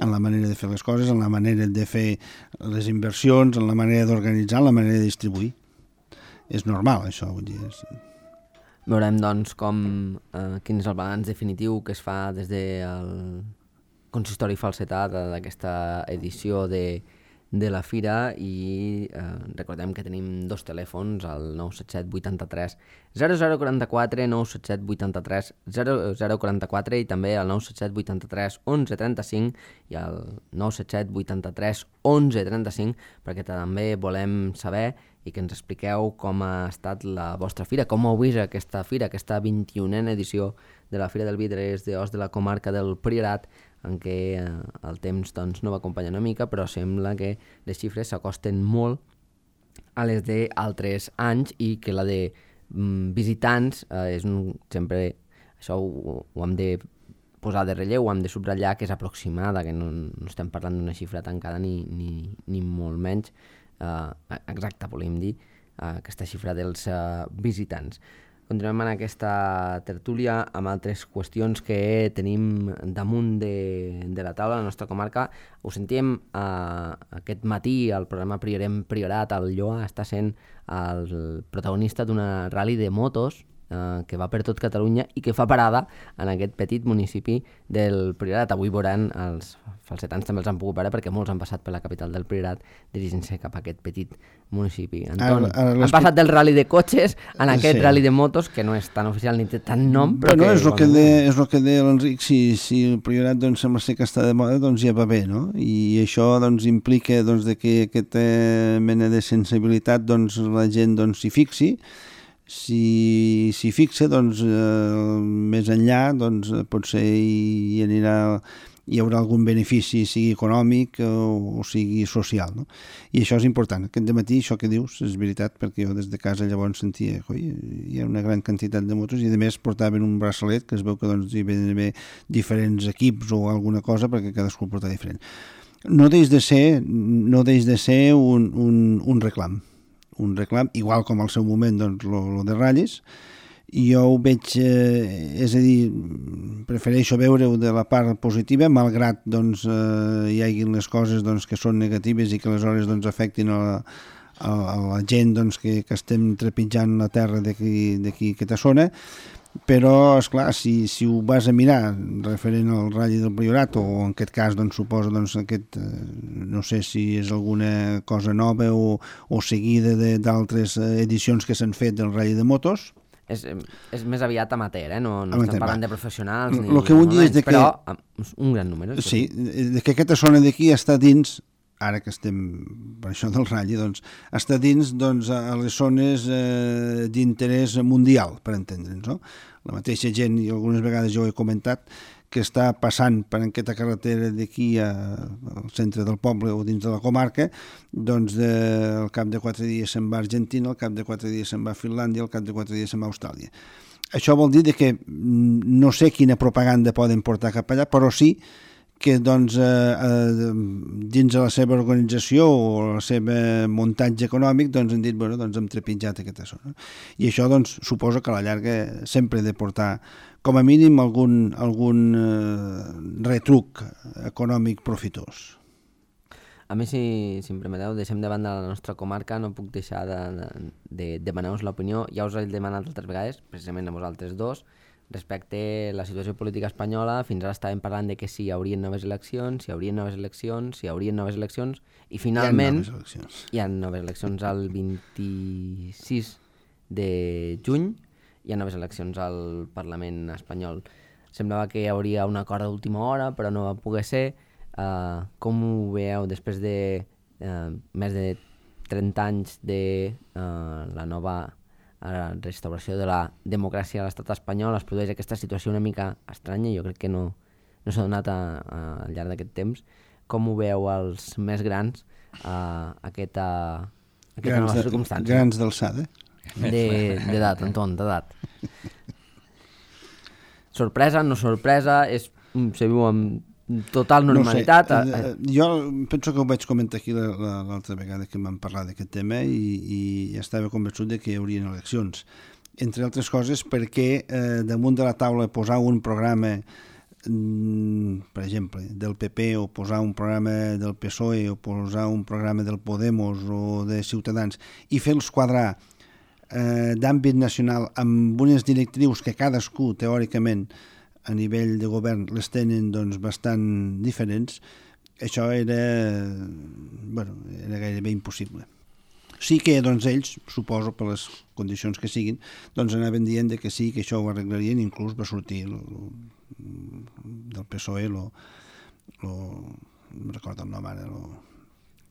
Speaker 2: en la manera de fer les coses, en la manera de fer les inversions, en la manera d'organitzar, en la manera de distribuir. És normal, això, vull dir. És...
Speaker 1: Veurem, doncs, com, eh, quin és el balanç definitiu que es fa des del consistori falsetat d'aquesta edició de, de la Fira i eh, recordem que tenim dos telèfons, el nou set set vuitanta-tres zero zero quaranta-quatre, nou set set vuitanta-tres zero zero quaranta-quatre i també el nou set set vuitanta-tres onze trenta-cinc i el nou set set vuitanta-tres onze trenta-cinc perquè també volem saber i que ens expliqueu com ha estat la vostra fira, com heu vist aquesta fira, aquesta vint-i-unena edició de la Fira del Vidres d'Os de la comarca del Priorat, en què eh, el temps doncs, no va acompanyar una mica, però sembla que les xifres s'acosten molt a les d'altres anys i que la de mm, visitants eh, és un, sempre, això ho, ho hem de posar de relleu, ho hem de subratllar, que és aproximada, que no, no estem parlant d'una xifra tancada ni, ni, ni molt menys eh, exacta, volem dir, eh, aquesta xifra dels eh, visitants. Continuem en aquesta tertúlia amb altres qüestions que tenim damunt de, de la taula a la nostra comarca. Ho sentíem uh, aquest matí al programa Priorem Priorat. El Lloa està sent el protagonista d'una rally de motos uh, que va per tot Catalunya i que fa parada en aquest petit municipi del Priorat. Avui veuran els falsetans també els han pogut veure perquè molts han passat per la capital del Priorat dirigint-se cap a aquest petit municipi. Anton, ara, ara han passat del rally de cotxes en aquest sí. rally de motos, que no és tan oficial ni té tant nom, però
Speaker 2: bueno,
Speaker 1: que...
Speaker 2: És el que, de, és el que deia l'Enric, si, si el Priorat doncs, sembla ser que està de moda, doncs ja va bé, no? I això doncs, implica doncs, de que aquesta mena de sensibilitat doncs, la gent doncs, s'hi fixi. Si s'hi fixa, doncs, eh, més enllà, doncs, potser hi anirà... hi haurà algun benefici, sigui econòmic o, o sigui social, no? I això és important. Aquest dematí, això que dius, és veritat, perquè jo des de casa llavors sentia que hi ha una gran quantitat de motos i a més portaven un braçalet que es veu que doncs, hi havia d'haver diferents equips o alguna cosa perquè cadascú el porta diferent. No deix de ser, no deix de ser un, un, un reclam, un reclam, igual com al seu moment doncs, lo, lo de ratlles. I jo ho veig, eh, és a dir, prefereixo veure-ho de la part positiva, malgrat doncs, eh, hi hagi les coses doncs, que són negatives i que aleshores doncs, afectin a la, a, a la gent doncs, que, que estem trepitjant la terra d'aquí aquesta zona, però, esclar, si, si ho vas a mirar referent al Rally del Priorat, o en aquest cas doncs, suposo doncs, aquest, eh, no sé si és alguna cosa nova o, o seguida d'altres edicions que s'han fet del Rally de motos,
Speaker 1: És, és més aviat amateur, eh? No, no estem parlant de professionals ni
Speaker 2: lo que vull dir és de que,
Speaker 1: però un gran número.
Speaker 2: Sí, de que aquesta zona d'aquí està dins, ara que estem per això del ratll, doncs, està dins doncs, a les zones eh, d'interès mundial, per entendre'ns, no? La mateixa gent, i algunes vegades jo ho he comentat, que està passant per aquesta carretera d'aquí al centre del poble o dins de la comarca, doncs de, al cap de quatre dies se'n va a Argentina, al cap de quatre dies se'n va a Finlàndia, al cap de quatre dies se'n va a Austràlia. Això vol dir que no sé quina propaganda poden portar cap allà, però sí que doncs, eh, eh, dins de la seva organització o el seu muntatge econòmic doncs, han dit, bueno, doncs hem trepitjat aquesta zona. I això doncs, suposo que a la llarga sempre he de portar com a mínim algun, algun eh, retruc econòmic profitós.
Speaker 1: A mi, si, si em permeteu, deixem de banda la nostra comarca, no puc deixar de, de, de demanar-vos l'opinió. Ja us he demanat altres vegades, precisament a vosaltres dos, respecte a la situació política espanyola. Fins ara estàvem parlant de que si hi haurien noves eleccions, si hi haurien noves eleccions, si hi haurien noves eleccions, i finalment
Speaker 2: hi ha noves eleccions,
Speaker 1: hi ha noves eleccions el vint-i-sis de juny, hi ha noves eleccions al Parlament espanyol. Semblava que hi hauria un acord d'última hora, però no va poder ser. Uh, com ho veieu després de uh, més de trenta anys de uh, la nova a la restauració de la democràcia a l'estat espanyol? Es produeix aquesta situació una mica estranya, jo crec que no, no s'ha donat a, a, al llarg d'aquest temps. Com ho veu els més grans a aquesta, aquesta nova circumstància?
Speaker 2: Grans d'alçada.
Speaker 1: D'edat, Anton, d'edat. Sorpresa, no sorpresa, és, se viu amb total normalitat.
Speaker 2: No sé, jo penso que ho vaig comentar aquí l'altra vegada que vam parlar d'aquest tema i, i estava convençut de que hi haurien eleccions. Entre altres coses perquè eh, damunt de la taula posar un programa, mm, per exemple, del P P o posar un programa del P S O E o posar un programa del Podemos o de Ciutadans i fer-los quadrar eh, d'àmbit nacional amb unes directrius que cadascú, teòricament, a nivell de govern les tenen doncs, bastant diferents, això era, bueno, era gairebé impossible. Sí que doncs, ells, suposo, per les condicions que siguin, doncs anaven dient que sí, que això ho arreglarien, inclús va sortir lo, lo, del P S O E, lo, lo, no recordo el nom ara, lo,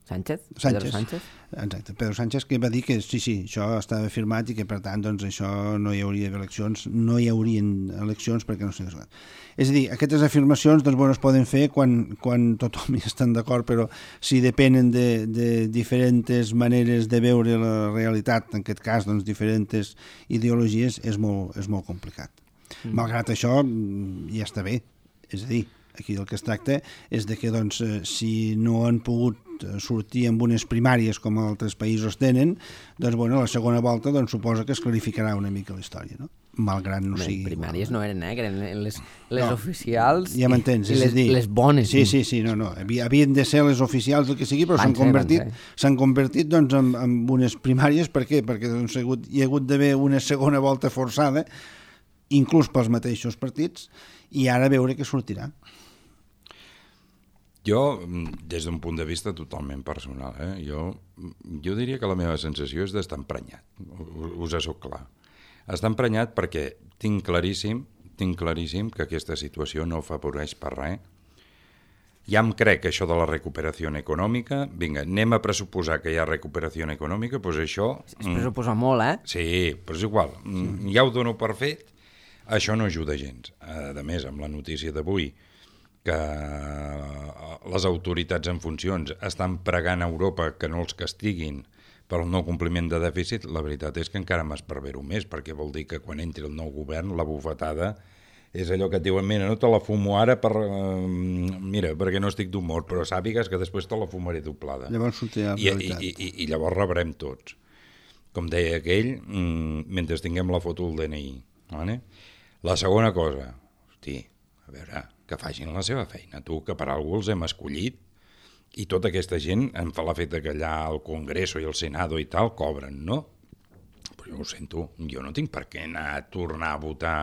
Speaker 1: Sánchez?
Speaker 2: Sánchez?
Speaker 1: Pedro Sánchez?
Speaker 2: Exacte, Pedro Sánchez, que va dir que sí, sí, això estava firmat i que per tant doncs, això no hi hauria eleccions, no hi haurien eleccions perquè no s'ha resolt. És a dir, aquestes afirmacions doncs, bueno, es poden fer quan, quan tothom hi estan d'acord, però si depenen de, de diferents maneres de veure la realitat, en aquest cas doncs, diferents ideologies, és molt, és molt complicat. Mm. Malgrat això, ja està bé, és a dir, aquí del que es tracta és de que doncs, si no han pogut sortir amb unes primàries com altres països tenen, doncs bueno, la segona volta doncs, suposa que es clarificarà una mica la història, no? Malgrat no sigui...
Speaker 1: Primàries no eren, eh? Que eren les, les no, oficials
Speaker 2: ja m'entens,
Speaker 1: i, i les,
Speaker 2: dir,
Speaker 1: les bones.
Speaker 2: Sí, sí, sí, no, no. Havien de ser les oficials del que sigui, però s'han convertit, s'han convertit doncs, en, en unes primàries. Per què? Perquè doncs, hi ha hagut, hi ha hagut d'haver una segona volta forçada, inclús pels mateixos partits, i ara veure què sortirà.
Speaker 3: Jo, des d'un punt de vista totalment personal, eh? jo, jo diria que la meva sensació és d'estar emprenyat, us soc clar. Està emprenyat perquè tinc claríssim, tinc claríssim que aquesta situació no afavoreix per res. Ja em crec que això de la recuperació econòmica, vinga, anem a pressuposar que hi ha recuperació econòmica, doncs això...
Speaker 1: Es pressuposa molt, eh?
Speaker 3: Sí, però és igual, sí. Ja ho dono per fet, això no ajuda gens. A més, amb la notícia d'avui, que les autoritats en funcions estan pregant a Europa que no els castiguin pel no compliment de dèficit, la veritat és que encara m'esparvero més, perquè vol dir que quan entri el nou govern, la bufetada és allò que et diuen, mira, no te la fumo ara per, uh, mira, perquè no estic d'humor, però sàpigues que després te la fumaré doblada.
Speaker 2: Llavors sortirà la realitat.
Speaker 3: I, i, i, I llavors rebrem tots. Com deia aquell, mm, mentre tinguem la foto del D N I. Vale? La segona cosa, hosti, a veure, que facin la seva feina, tu, que per algú els hem escollit, i tota aquesta gent em fa la feta que allà al Congreso i al Senado i tal cobren, no? Però jo ho sento, jo no tinc per què anar a tornar a votar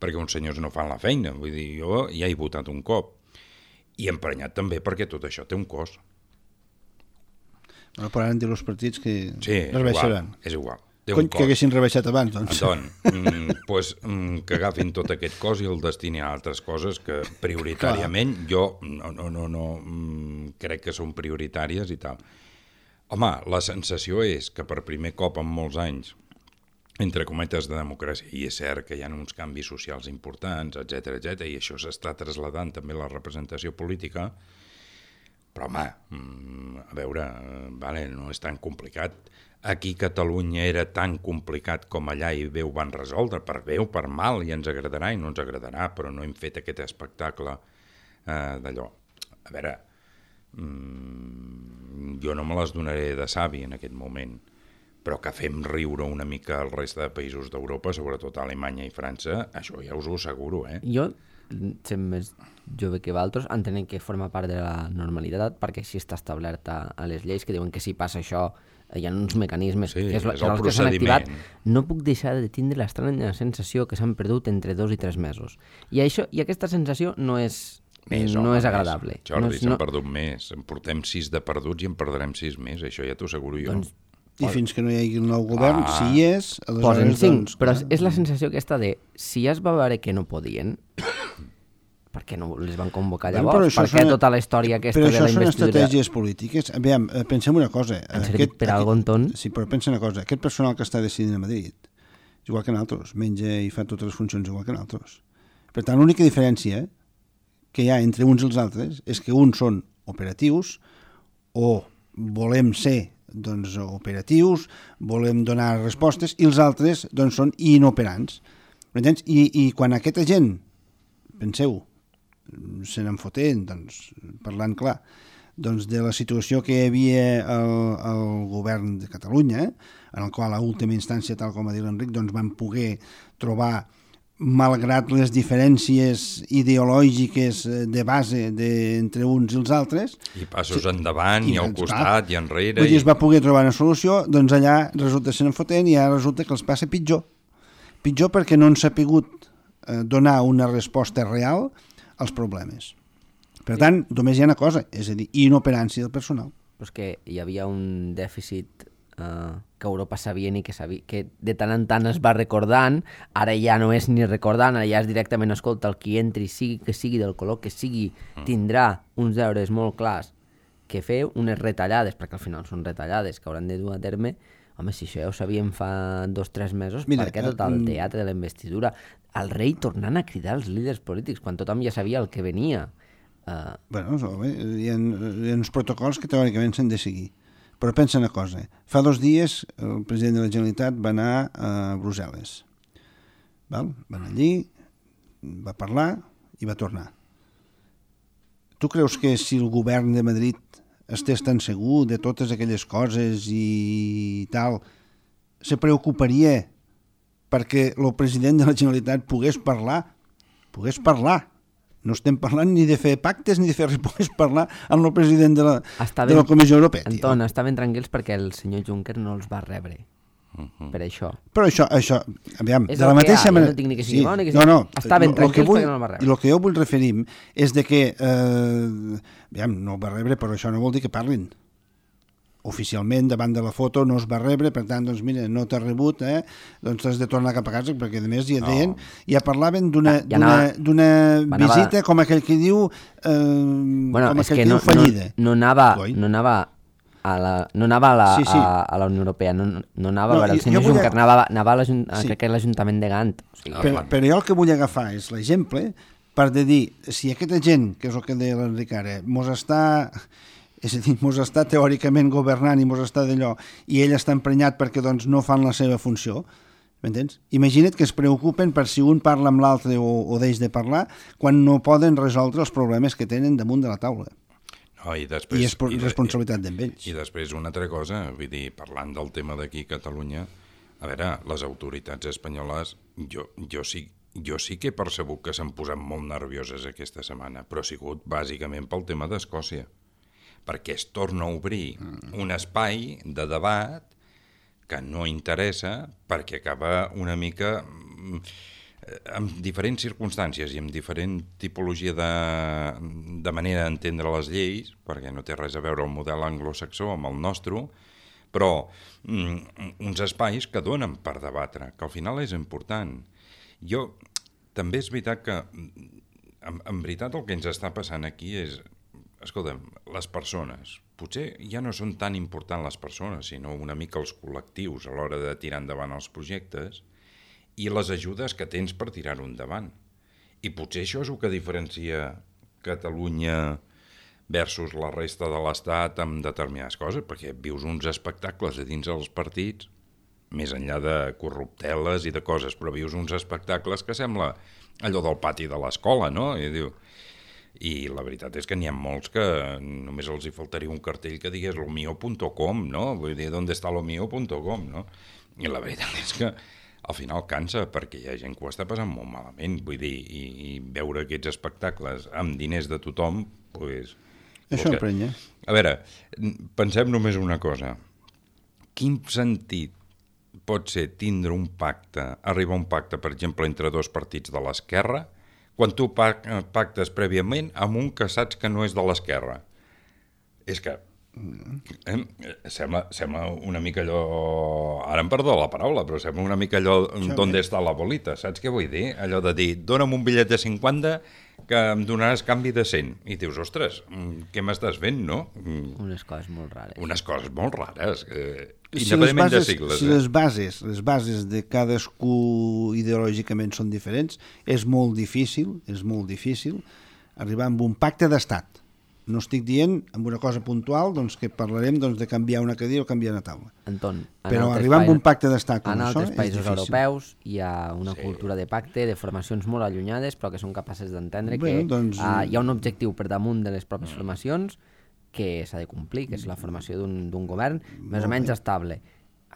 Speaker 3: perquè uns senyors no fan la feina, vull dir, jo ja he votat un cop, i emprenyat també perquè tot això té un cost.
Speaker 2: Bueno, però ara han dit els partits que
Speaker 3: sí,
Speaker 2: es baixaran.
Speaker 3: És igual.
Speaker 2: Cony, que haguessin rebaixat abans, doncs.
Speaker 3: Doncs, mm, pues, mm, que agafin tot aquest cos i el destinin a altres coses que prioritàriament Clar. jo no, no, no, no mm, crec que són prioritàries i tal. Home, la sensació és que per primer cop en molts anys, entre cometes de democràcia, i és cert que hi ha uns canvis socials importants, etcètera, etcètera, i això s'està traslladant també a la representació política, però home, mm, a veure, vale, no és tan complicat. Aquí Catalunya era tan complicat com allà i bé ho van resoldre, per bé o per mal, i ens agradarà i no ens agradarà, però no hem fet aquest espectacle eh, d'allò. A veure, mmm, jo no me les donaré de savi en aquest moment, però que fem riure una mica el reste de països d'Europa, sobretot Alemanya i França, això ja us ho asseguro, eh?
Speaker 1: Jo, sent més jove que valtros, entenent que forma part de la normalitat, perquè així està establert a, a les lleis, que diuen que si passa això hi ha uns mecanismes
Speaker 3: sí,
Speaker 1: que, és,
Speaker 3: és
Speaker 1: que els que s'han activat. No puc deixar de tindre l'estranya sensació que s'han perdut entre dos i tres mesos. I, això, i aquesta sensació no és,
Speaker 3: més,
Speaker 1: no
Speaker 3: home,
Speaker 1: és agradable.
Speaker 3: Més. Jordi,
Speaker 1: no és,
Speaker 3: s'han
Speaker 1: no...
Speaker 3: perdut més. En portem sis de perduts i en perdrem sis més. Això ja t'ho asseguro jo. Doncs,
Speaker 2: I fins que no hi hagi el nou govern, ah, si hi és...
Speaker 1: Posen cinc, doncs, però és la sensació aquesta de si ja es va veure que no podien... Per què no les van convocar llavors? Per què tota la història aquesta de la investidura...
Speaker 2: Però això són estratègies polítiques. Aviam, pensem una cosa.
Speaker 1: Han servit per algun ton?
Speaker 2: Sí, però pensa una cosa. Aquest personal que està decidint a Madrid, igual que nosaltres, menja i fa totes les funcions igual que nosaltres. Per tant, l'única diferència que hi ha entre uns i els altres és que uns són operatius o volem ser doncs, operatius, volem donar respostes, i els altres doncs, són inoperants. M'entens? I, I quan aquesta gent, penseu, se n'en fotent, doncs, parlant clar, doncs de la situació que hi havia al, al govern de Catalunya, en el qual a última instància, tal com ha dit l'Enric, doncs van poder trobar malgrat les diferències ideològiques de base de, entre uns i els altres...
Speaker 3: I passos endavant, i, i al costat, i enrere...
Speaker 2: Vull dir, es va poder trobar una solució, doncs allà resulta que se n'enfoten i ara resulta que els passa pitjor. Pitjor perquè no han sapigut eh, donar una resposta real als problemes. Per tant, només hi ha una cosa, és a dir, inoperància del personal.
Speaker 1: Però és que hi havia un dèficit Uh, que Europa sabia ni que sabia, que de tant en tant es va recordant, ara ja no és ni recordant, ara ja és directament, escolta, el qui entri, sigui que sigui del color que sigui, tindrà uns deures molt clars que fer, unes retallades, perquè al final són retallades que hauran de dur a terme. Home, si això ja ho sabíem fa dos o tres mesos, Mira, per què tot el teatre de la investidura? El rei tornant a cridar els líders polítics, quan tothom ja sabia el que venia. Uh...
Speaker 2: Bueno, hi ha, hi ha uns protocols que teòricament s'han de seguir. Però pensa una cosa, fa dos dies el president de la Generalitat va anar a Brussel·les. Val? Va anar allí, va parlar i va tornar. Tu creus que si el govern de Madrid estés tan segur de totes aquelles coses i tal, se preocuparia perquè el president de la Generalitat pogués parlar? Pogués parlar. No estem parlant ni de fer pactes ni de fer res, pogués parlar amb el president de la, ben, de la Comissió Europea.
Speaker 1: Anton, estaven tranquils perquè el senyor Juncker no els va rebre. Uh-huh. Per això.
Speaker 2: Però això, això aviam,
Speaker 1: és
Speaker 2: de la mateixa
Speaker 1: manera... No tinc ni que sigui sí. bo, ni que sigui...
Speaker 2: No, no,
Speaker 1: estaven
Speaker 2: lo,
Speaker 1: tranquils
Speaker 2: lo vull,
Speaker 1: perquè no el va rebre.
Speaker 2: I el que jo vull referir és de que, eh, aviam, no el va rebre, però això no vol dir que parlin. Oficialment, davant de la foto, no es va rebre, per tant, doncs, mira, no t'ha rebut, eh? Doncs has de tornar cap a casa, perquè, a més, ja deien, no. ja parlaven d'una ja anava, d'una visita, anava... com aquell que diu, eh,
Speaker 1: bueno,
Speaker 2: com aquell que,
Speaker 1: que
Speaker 2: no, diu fallida.
Speaker 1: No, no anava, no anava a la, no anava a la, sí, sí. A, a la Unió Europea, no, no anava no, a veure el senyor Juncker, a... anava, anava a, a, sí. a l'Ajuntament de Gant. O sigui,
Speaker 2: però, però jo el que vull agafar és l'exemple per de dir, si aquesta gent, que és el que deia l'Enric ara, mos està... és a dir, mos està teòricament governant i mos està d'allò, i ell està emprenyat perquè doncs, no fan la seva funció, m'entens? Imagina't que es preocupen per si un parla amb l'altre o, o deix de parlar quan no poden resoldre els problemes que tenen damunt de la taula.
Speaker 3: No, i, després,
Speaker 2: I és i, responsabilitat d'ells.
Speaker 3: I després una altra cosa, vull dir, parlant del tema d'aquí a Catalunya, a veure, les autoritats espanyoles, jo, jo sí jo sí que he percebut que s'han posat molt nervioses aquesta setmana, però ha sigut bàsicament pel tema d'Escòcia, perquè es torna a obrir un espai de debat que no interessa perquè acaba una mica amb diferents circumstàncies i amb diferent tipologia de, de manera d'entendre les lleis, perquè no té res a veure el model anglosaxó amb el nostre, però mm, uns espais que donen per debatre, que al final és important. Jo, també és veritat que, en, en veritat el que ens està passant aquí és, escolta'm, les persones, potser ja no són tan importants les persones, sinó una mica els col·lectius a l'hora de tirar endavant els projectes i les ajudes que tens per tirar-ho endavant. I potser això és el que diferencia Catalunya versus la resta de l'Estat amb determinades coses, perquè vius uns espectacles a dins dels partits, més enllà de corrupteles i de coses, però vius uns espectacles que sembla allò del pati de l'escola, no? I diu... I la veritat és que n'hi ha molts que només els hi faltaria un cartell que digués lo mío punto com, no? Vull dir, ¿dónde está lo mío punto com, no? I la veritat és que al final cansa, perquè hi ha gent que ho està passant molt malament, vull dir, i, i veure aquests espectacles amb diners de tothom, doncs...
Speaker 2: Això emprenya.
Speaker 3: A veure, pensem només una cosa. Quin sentit pot ser tindre un pacte, arribar a un pacte, per exemple, entre dos partits de l'esquerra, quan tu pactes prèviament amb un que saps que no és de l'esquerra? És que eh, sembla, sembla una mica allò... Ara em perdó la paraula, però sembla una mica allò d'on està la bolita, saps què vull dir? Allò de dir, dona'm un bitllet de cinquanta que em donaràs canvi de cent. I dius, ostres, què m'estàs fent, no?
Speaker 1: Unes coses molt rares.
Speaker 3: Unes coses molt rares, eh,
Speaker 2: si
Speaker 3: independentment
Speaker 2: bases,
Speaker 3: de sigles.
Speaker 2: Si
Speaker 3: eh?
Speaker 2: les bases, les bases de cadascú ideològicament són diferents, és molt difícil, és molt difícil arribar amb un pacte d'estat. No estic dient amb una cosa puntual doncs, que parlarem doncs, de canviar una cadira o canviar una taula.
Speaker 1: Anton,
Speaker 2: però arribar amb un pacte d'estat com
Speaker 1: en
Speaker 2: això
Speaker 1: altres països
Speaker 2: és difícil.
Speaker 1: Europeus hi ha una
Speaker 3: sí.
Speaker 1: cultura de pacte, de formacions molt allunyades, però que són capaces d'entendre
Speaker 2: bueno,
Speaker 1: que
Speaker 2: doncs...
Speaker 1: uh, hi ha un objectiu per damunt de les pròpies formacions que s'ha de complir, que és la formació d'un govern més o menys estable.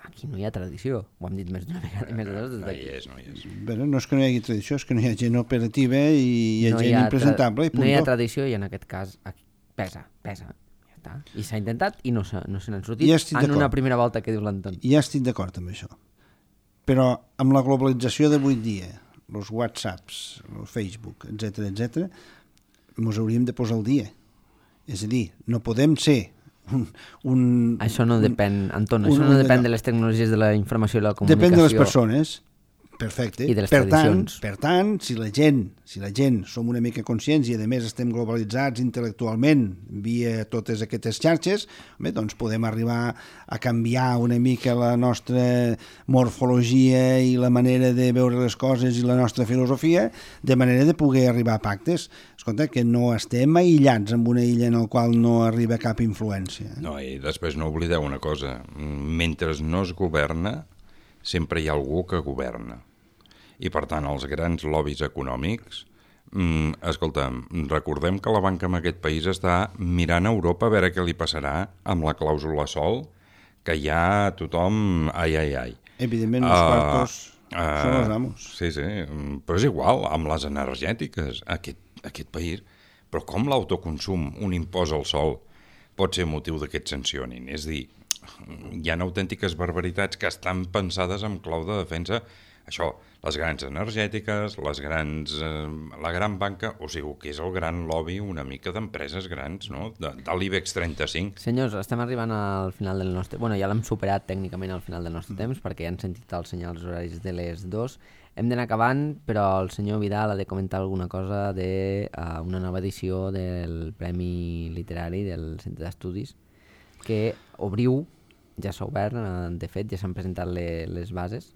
Speaker 1: aquí no hi ha tradició. Ho hem dit més d'una vegada. Més de
Speaker 3: no hi és, no hi és.
Speaker 2: Bé, no és que no hi hagi tradició, és que no hi ha gent operativa i hi ha
Speaker 1: no
Speaker 2: gent
Speaker 1: hi ha
Speaker 2: impresentable. I
Speaker 1: no hi ha tradició i en aquest cas aquí pesa, pesa. Ja està. I s'ha intentat i no se, no se n'han sortit en una primera volta que diu l'Anton.
Speaker 2: Ja estic d'acord amb això. Però amb la globalització d'avui dia, els WhatsApps, el Facebook, etcètera, etcètera, ens hauríem de posar al dia. És a dir, no podem ser un... un
Speaker 1: això no
Speaker 2: un,
Speaker 1: depèn, Anton, un, això no depèn de les tecnologies de la informació i la comunicació.
Speaker 2: Depèn de les persones, perfecte.
Speaker 1: I de les
Speaker 2: per
Speaker 1: tradicions.
Speaker 2: Tant, per tant, si la gent, si la gent som una mica conscients i a més estem globalitzats intel·lectualment via totes aquestes xarxes, bé, doncs podem arribar a canviar una mica la nostra morfologia i la manera de veure les coses i la nostra filosofia, de manera de poder arribar a pactes. Escolta, que no estem aïllats en una illa en la qual no arriba cap influència.
Speaker 3: No, i després no oblideu una cosa, mentre no es governa, sempre hi ha algú que governa. I, per tant, els grans lobbies econòmics, mm, escolta, recordem que la banca en aquest país està mirant a Europa a veure què li passarà amb la clàusula sol, que ja tothom... Ai, ai, ai.
Speaker 2: Evidentment, els uh, quartos uh, són els amos.
Speaker 3: Sí, sí, però és igual, amb les energètiques, aquest, aquest país... Però com l'autoconsum, un impost al sol, pot ser motiu de que et sancionin? És a dir, hi ha autèntiques barbaritats que estan pensades en clau de defensa. Això, les grans energètiques, les grans, eh, la gran banca, o sigui, que és el gran lobby una mica d'empreses grans, no? De, de l'IBEX trenta-cinc.
Speaker 1: Senyors, estem arribant al final del nostre... Bueno, ja l'hem superat tècnicament al final del nostre mm. temps, perquè ja han sentit els senyals horaris de les dos. Hem d'anar acabant, però el senyor Vidal ha de comentar alguna cosa de uh, una nova edició del Premi Literari del Centre d'Estudis, que obriu, ja s'ha obert, de fet, ja s'han presentat le, les bases.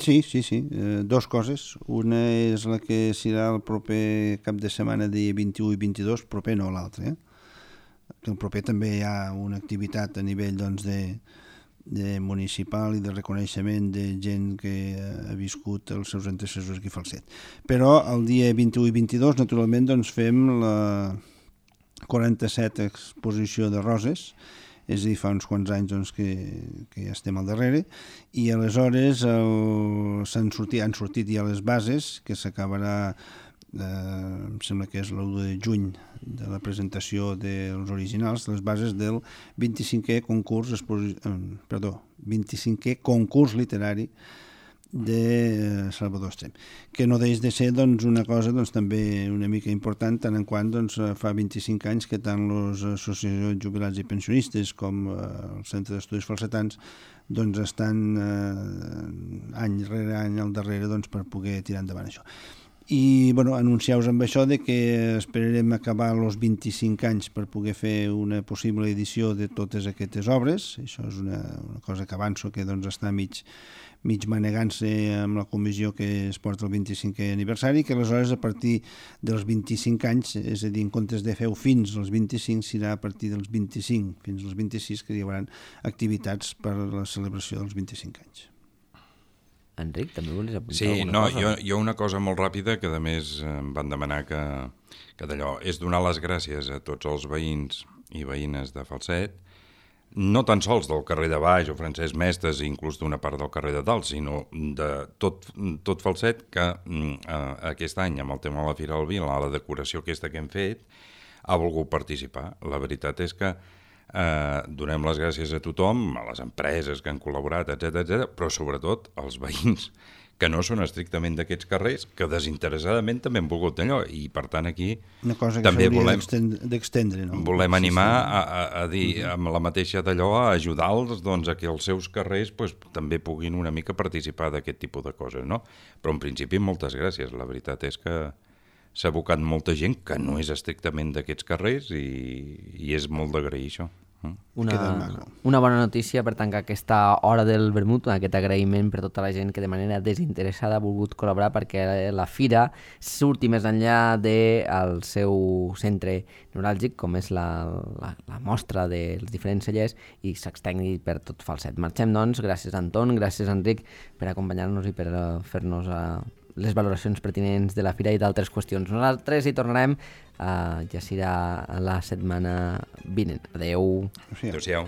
Speaker 2: Sí, sí, sí. Eh, dos coses. Una és la que serà el proper cap de setmana de vint-i-u i vint-i-dos, proper no l'altre. Eh? El proper també hi ha una activitat a nivell doncs, de, de municipal i de reconeixement de gent que ha viscut els seus antecessors aquí a Falset. Però el dia vint-i-u i vint-i-dos, naturalment, doncs, fem la quaranta-set exposició de roses, és a dir, fa uns quants anys doncs, que, que ja estem al darrere, i aleshores el, s'han sortit, han sortit ja les bases, que s'acabarà, eh, em sembla que és l'u de juny, de la presentació dels originals, les bases del vint-i-cinquè concurs, eh, perdó, vint-i-cinquè concurs literari de Salvador Estrem, que no deix de ser doncs, una cosa doncs, també una mica important, tant en quant doncs, fa vint-i-cinc anys que tant les associacions jubilats i pensionistes com eh, el Centre d'Estudis Falsetans doncs, estan eh, any rere any al darrere doncs, per poder tirar endavant això. I bueno, anunciar-vos amb això de que esperarem acabar els vint-i-cinc anys per poder fer una possible edició de totes aquestes obres. Això és una, una cosa que avanço, que doncs, està mig, mig manegant-se amb la comissió que es porta el vint-i-cinquè aniversari, que aleshores a partir dels vint-i-cinc anys, és a dir, en comptes de fer-ho fins als vint-i-cinc, serà a partir dels vint-i-cinc fins als vint-i-sis que hi haurà activitats per a la celebració dels vint-i-cinc anys.
Speaker 1: Enric, també volies apuntar
Speaker 3: sí,
Speaker 1: alguna
Speaker 3: no,
Speaker 1: cosa?
Speaker 3: Jo, jo una cosa molt ràpida que a més em van demanar que, que d'allò és donar les gràcies a tots els veïns i veïnes de Falset, no tan sols del carrer de Baix o Francesc Mestres, inclús d'una part del carrer de Dalt, sinó de tot, tot Falset, que eh, aquest any, amb el tema de la Fira del Vi, la decoració aquesta que hem fet, ha volgut participar. La veritat és que Eh, donem les gràcies a tothom, a les empreses que han col·laborat, etcètera, etcètera, però sobretot als veïns que no són estrictament d'aquests carrers, que desinteressadament també han volgut allò, i per tant aquí
Speaker 2: una cosa que
Speaker 3: també volem,
Speaker 2: d'extendre, no?
Speaker 3: volem animar sí, sí. A, a, a dir amb la mateixa d'allò, a ajudar-los doncs, a que els seus carrers pues, també puguin una mica participar d'aquest tipus de coses, no? Però en principi moltes gràcies, la veritat és que s'ha abocat molta gent que no és estrictament d'aquests carrers i, i és molt d'agrair això.
Speaker 1: Una, una bona notícia per tancar aquesta hora del vermut, aquest agraïment per tota la gent que de manera desinteressada ha volgut col·laborar perquè la fira surti més enllà del seu centre neuràlgic, com és la, la, la mostra dels diferents cellers, i s'extengui per tot Falset. Marxem, doncs, gràcies Anton, gràcies Enric per acompanyar-nos i per fer-nos uh, les valoracions pertinents de la fira i d'altres qüestions. Nosaltres hi tornarem, uh, ja serà la setmana vinent. Adeu.
Speaker 3: Adéu-siau.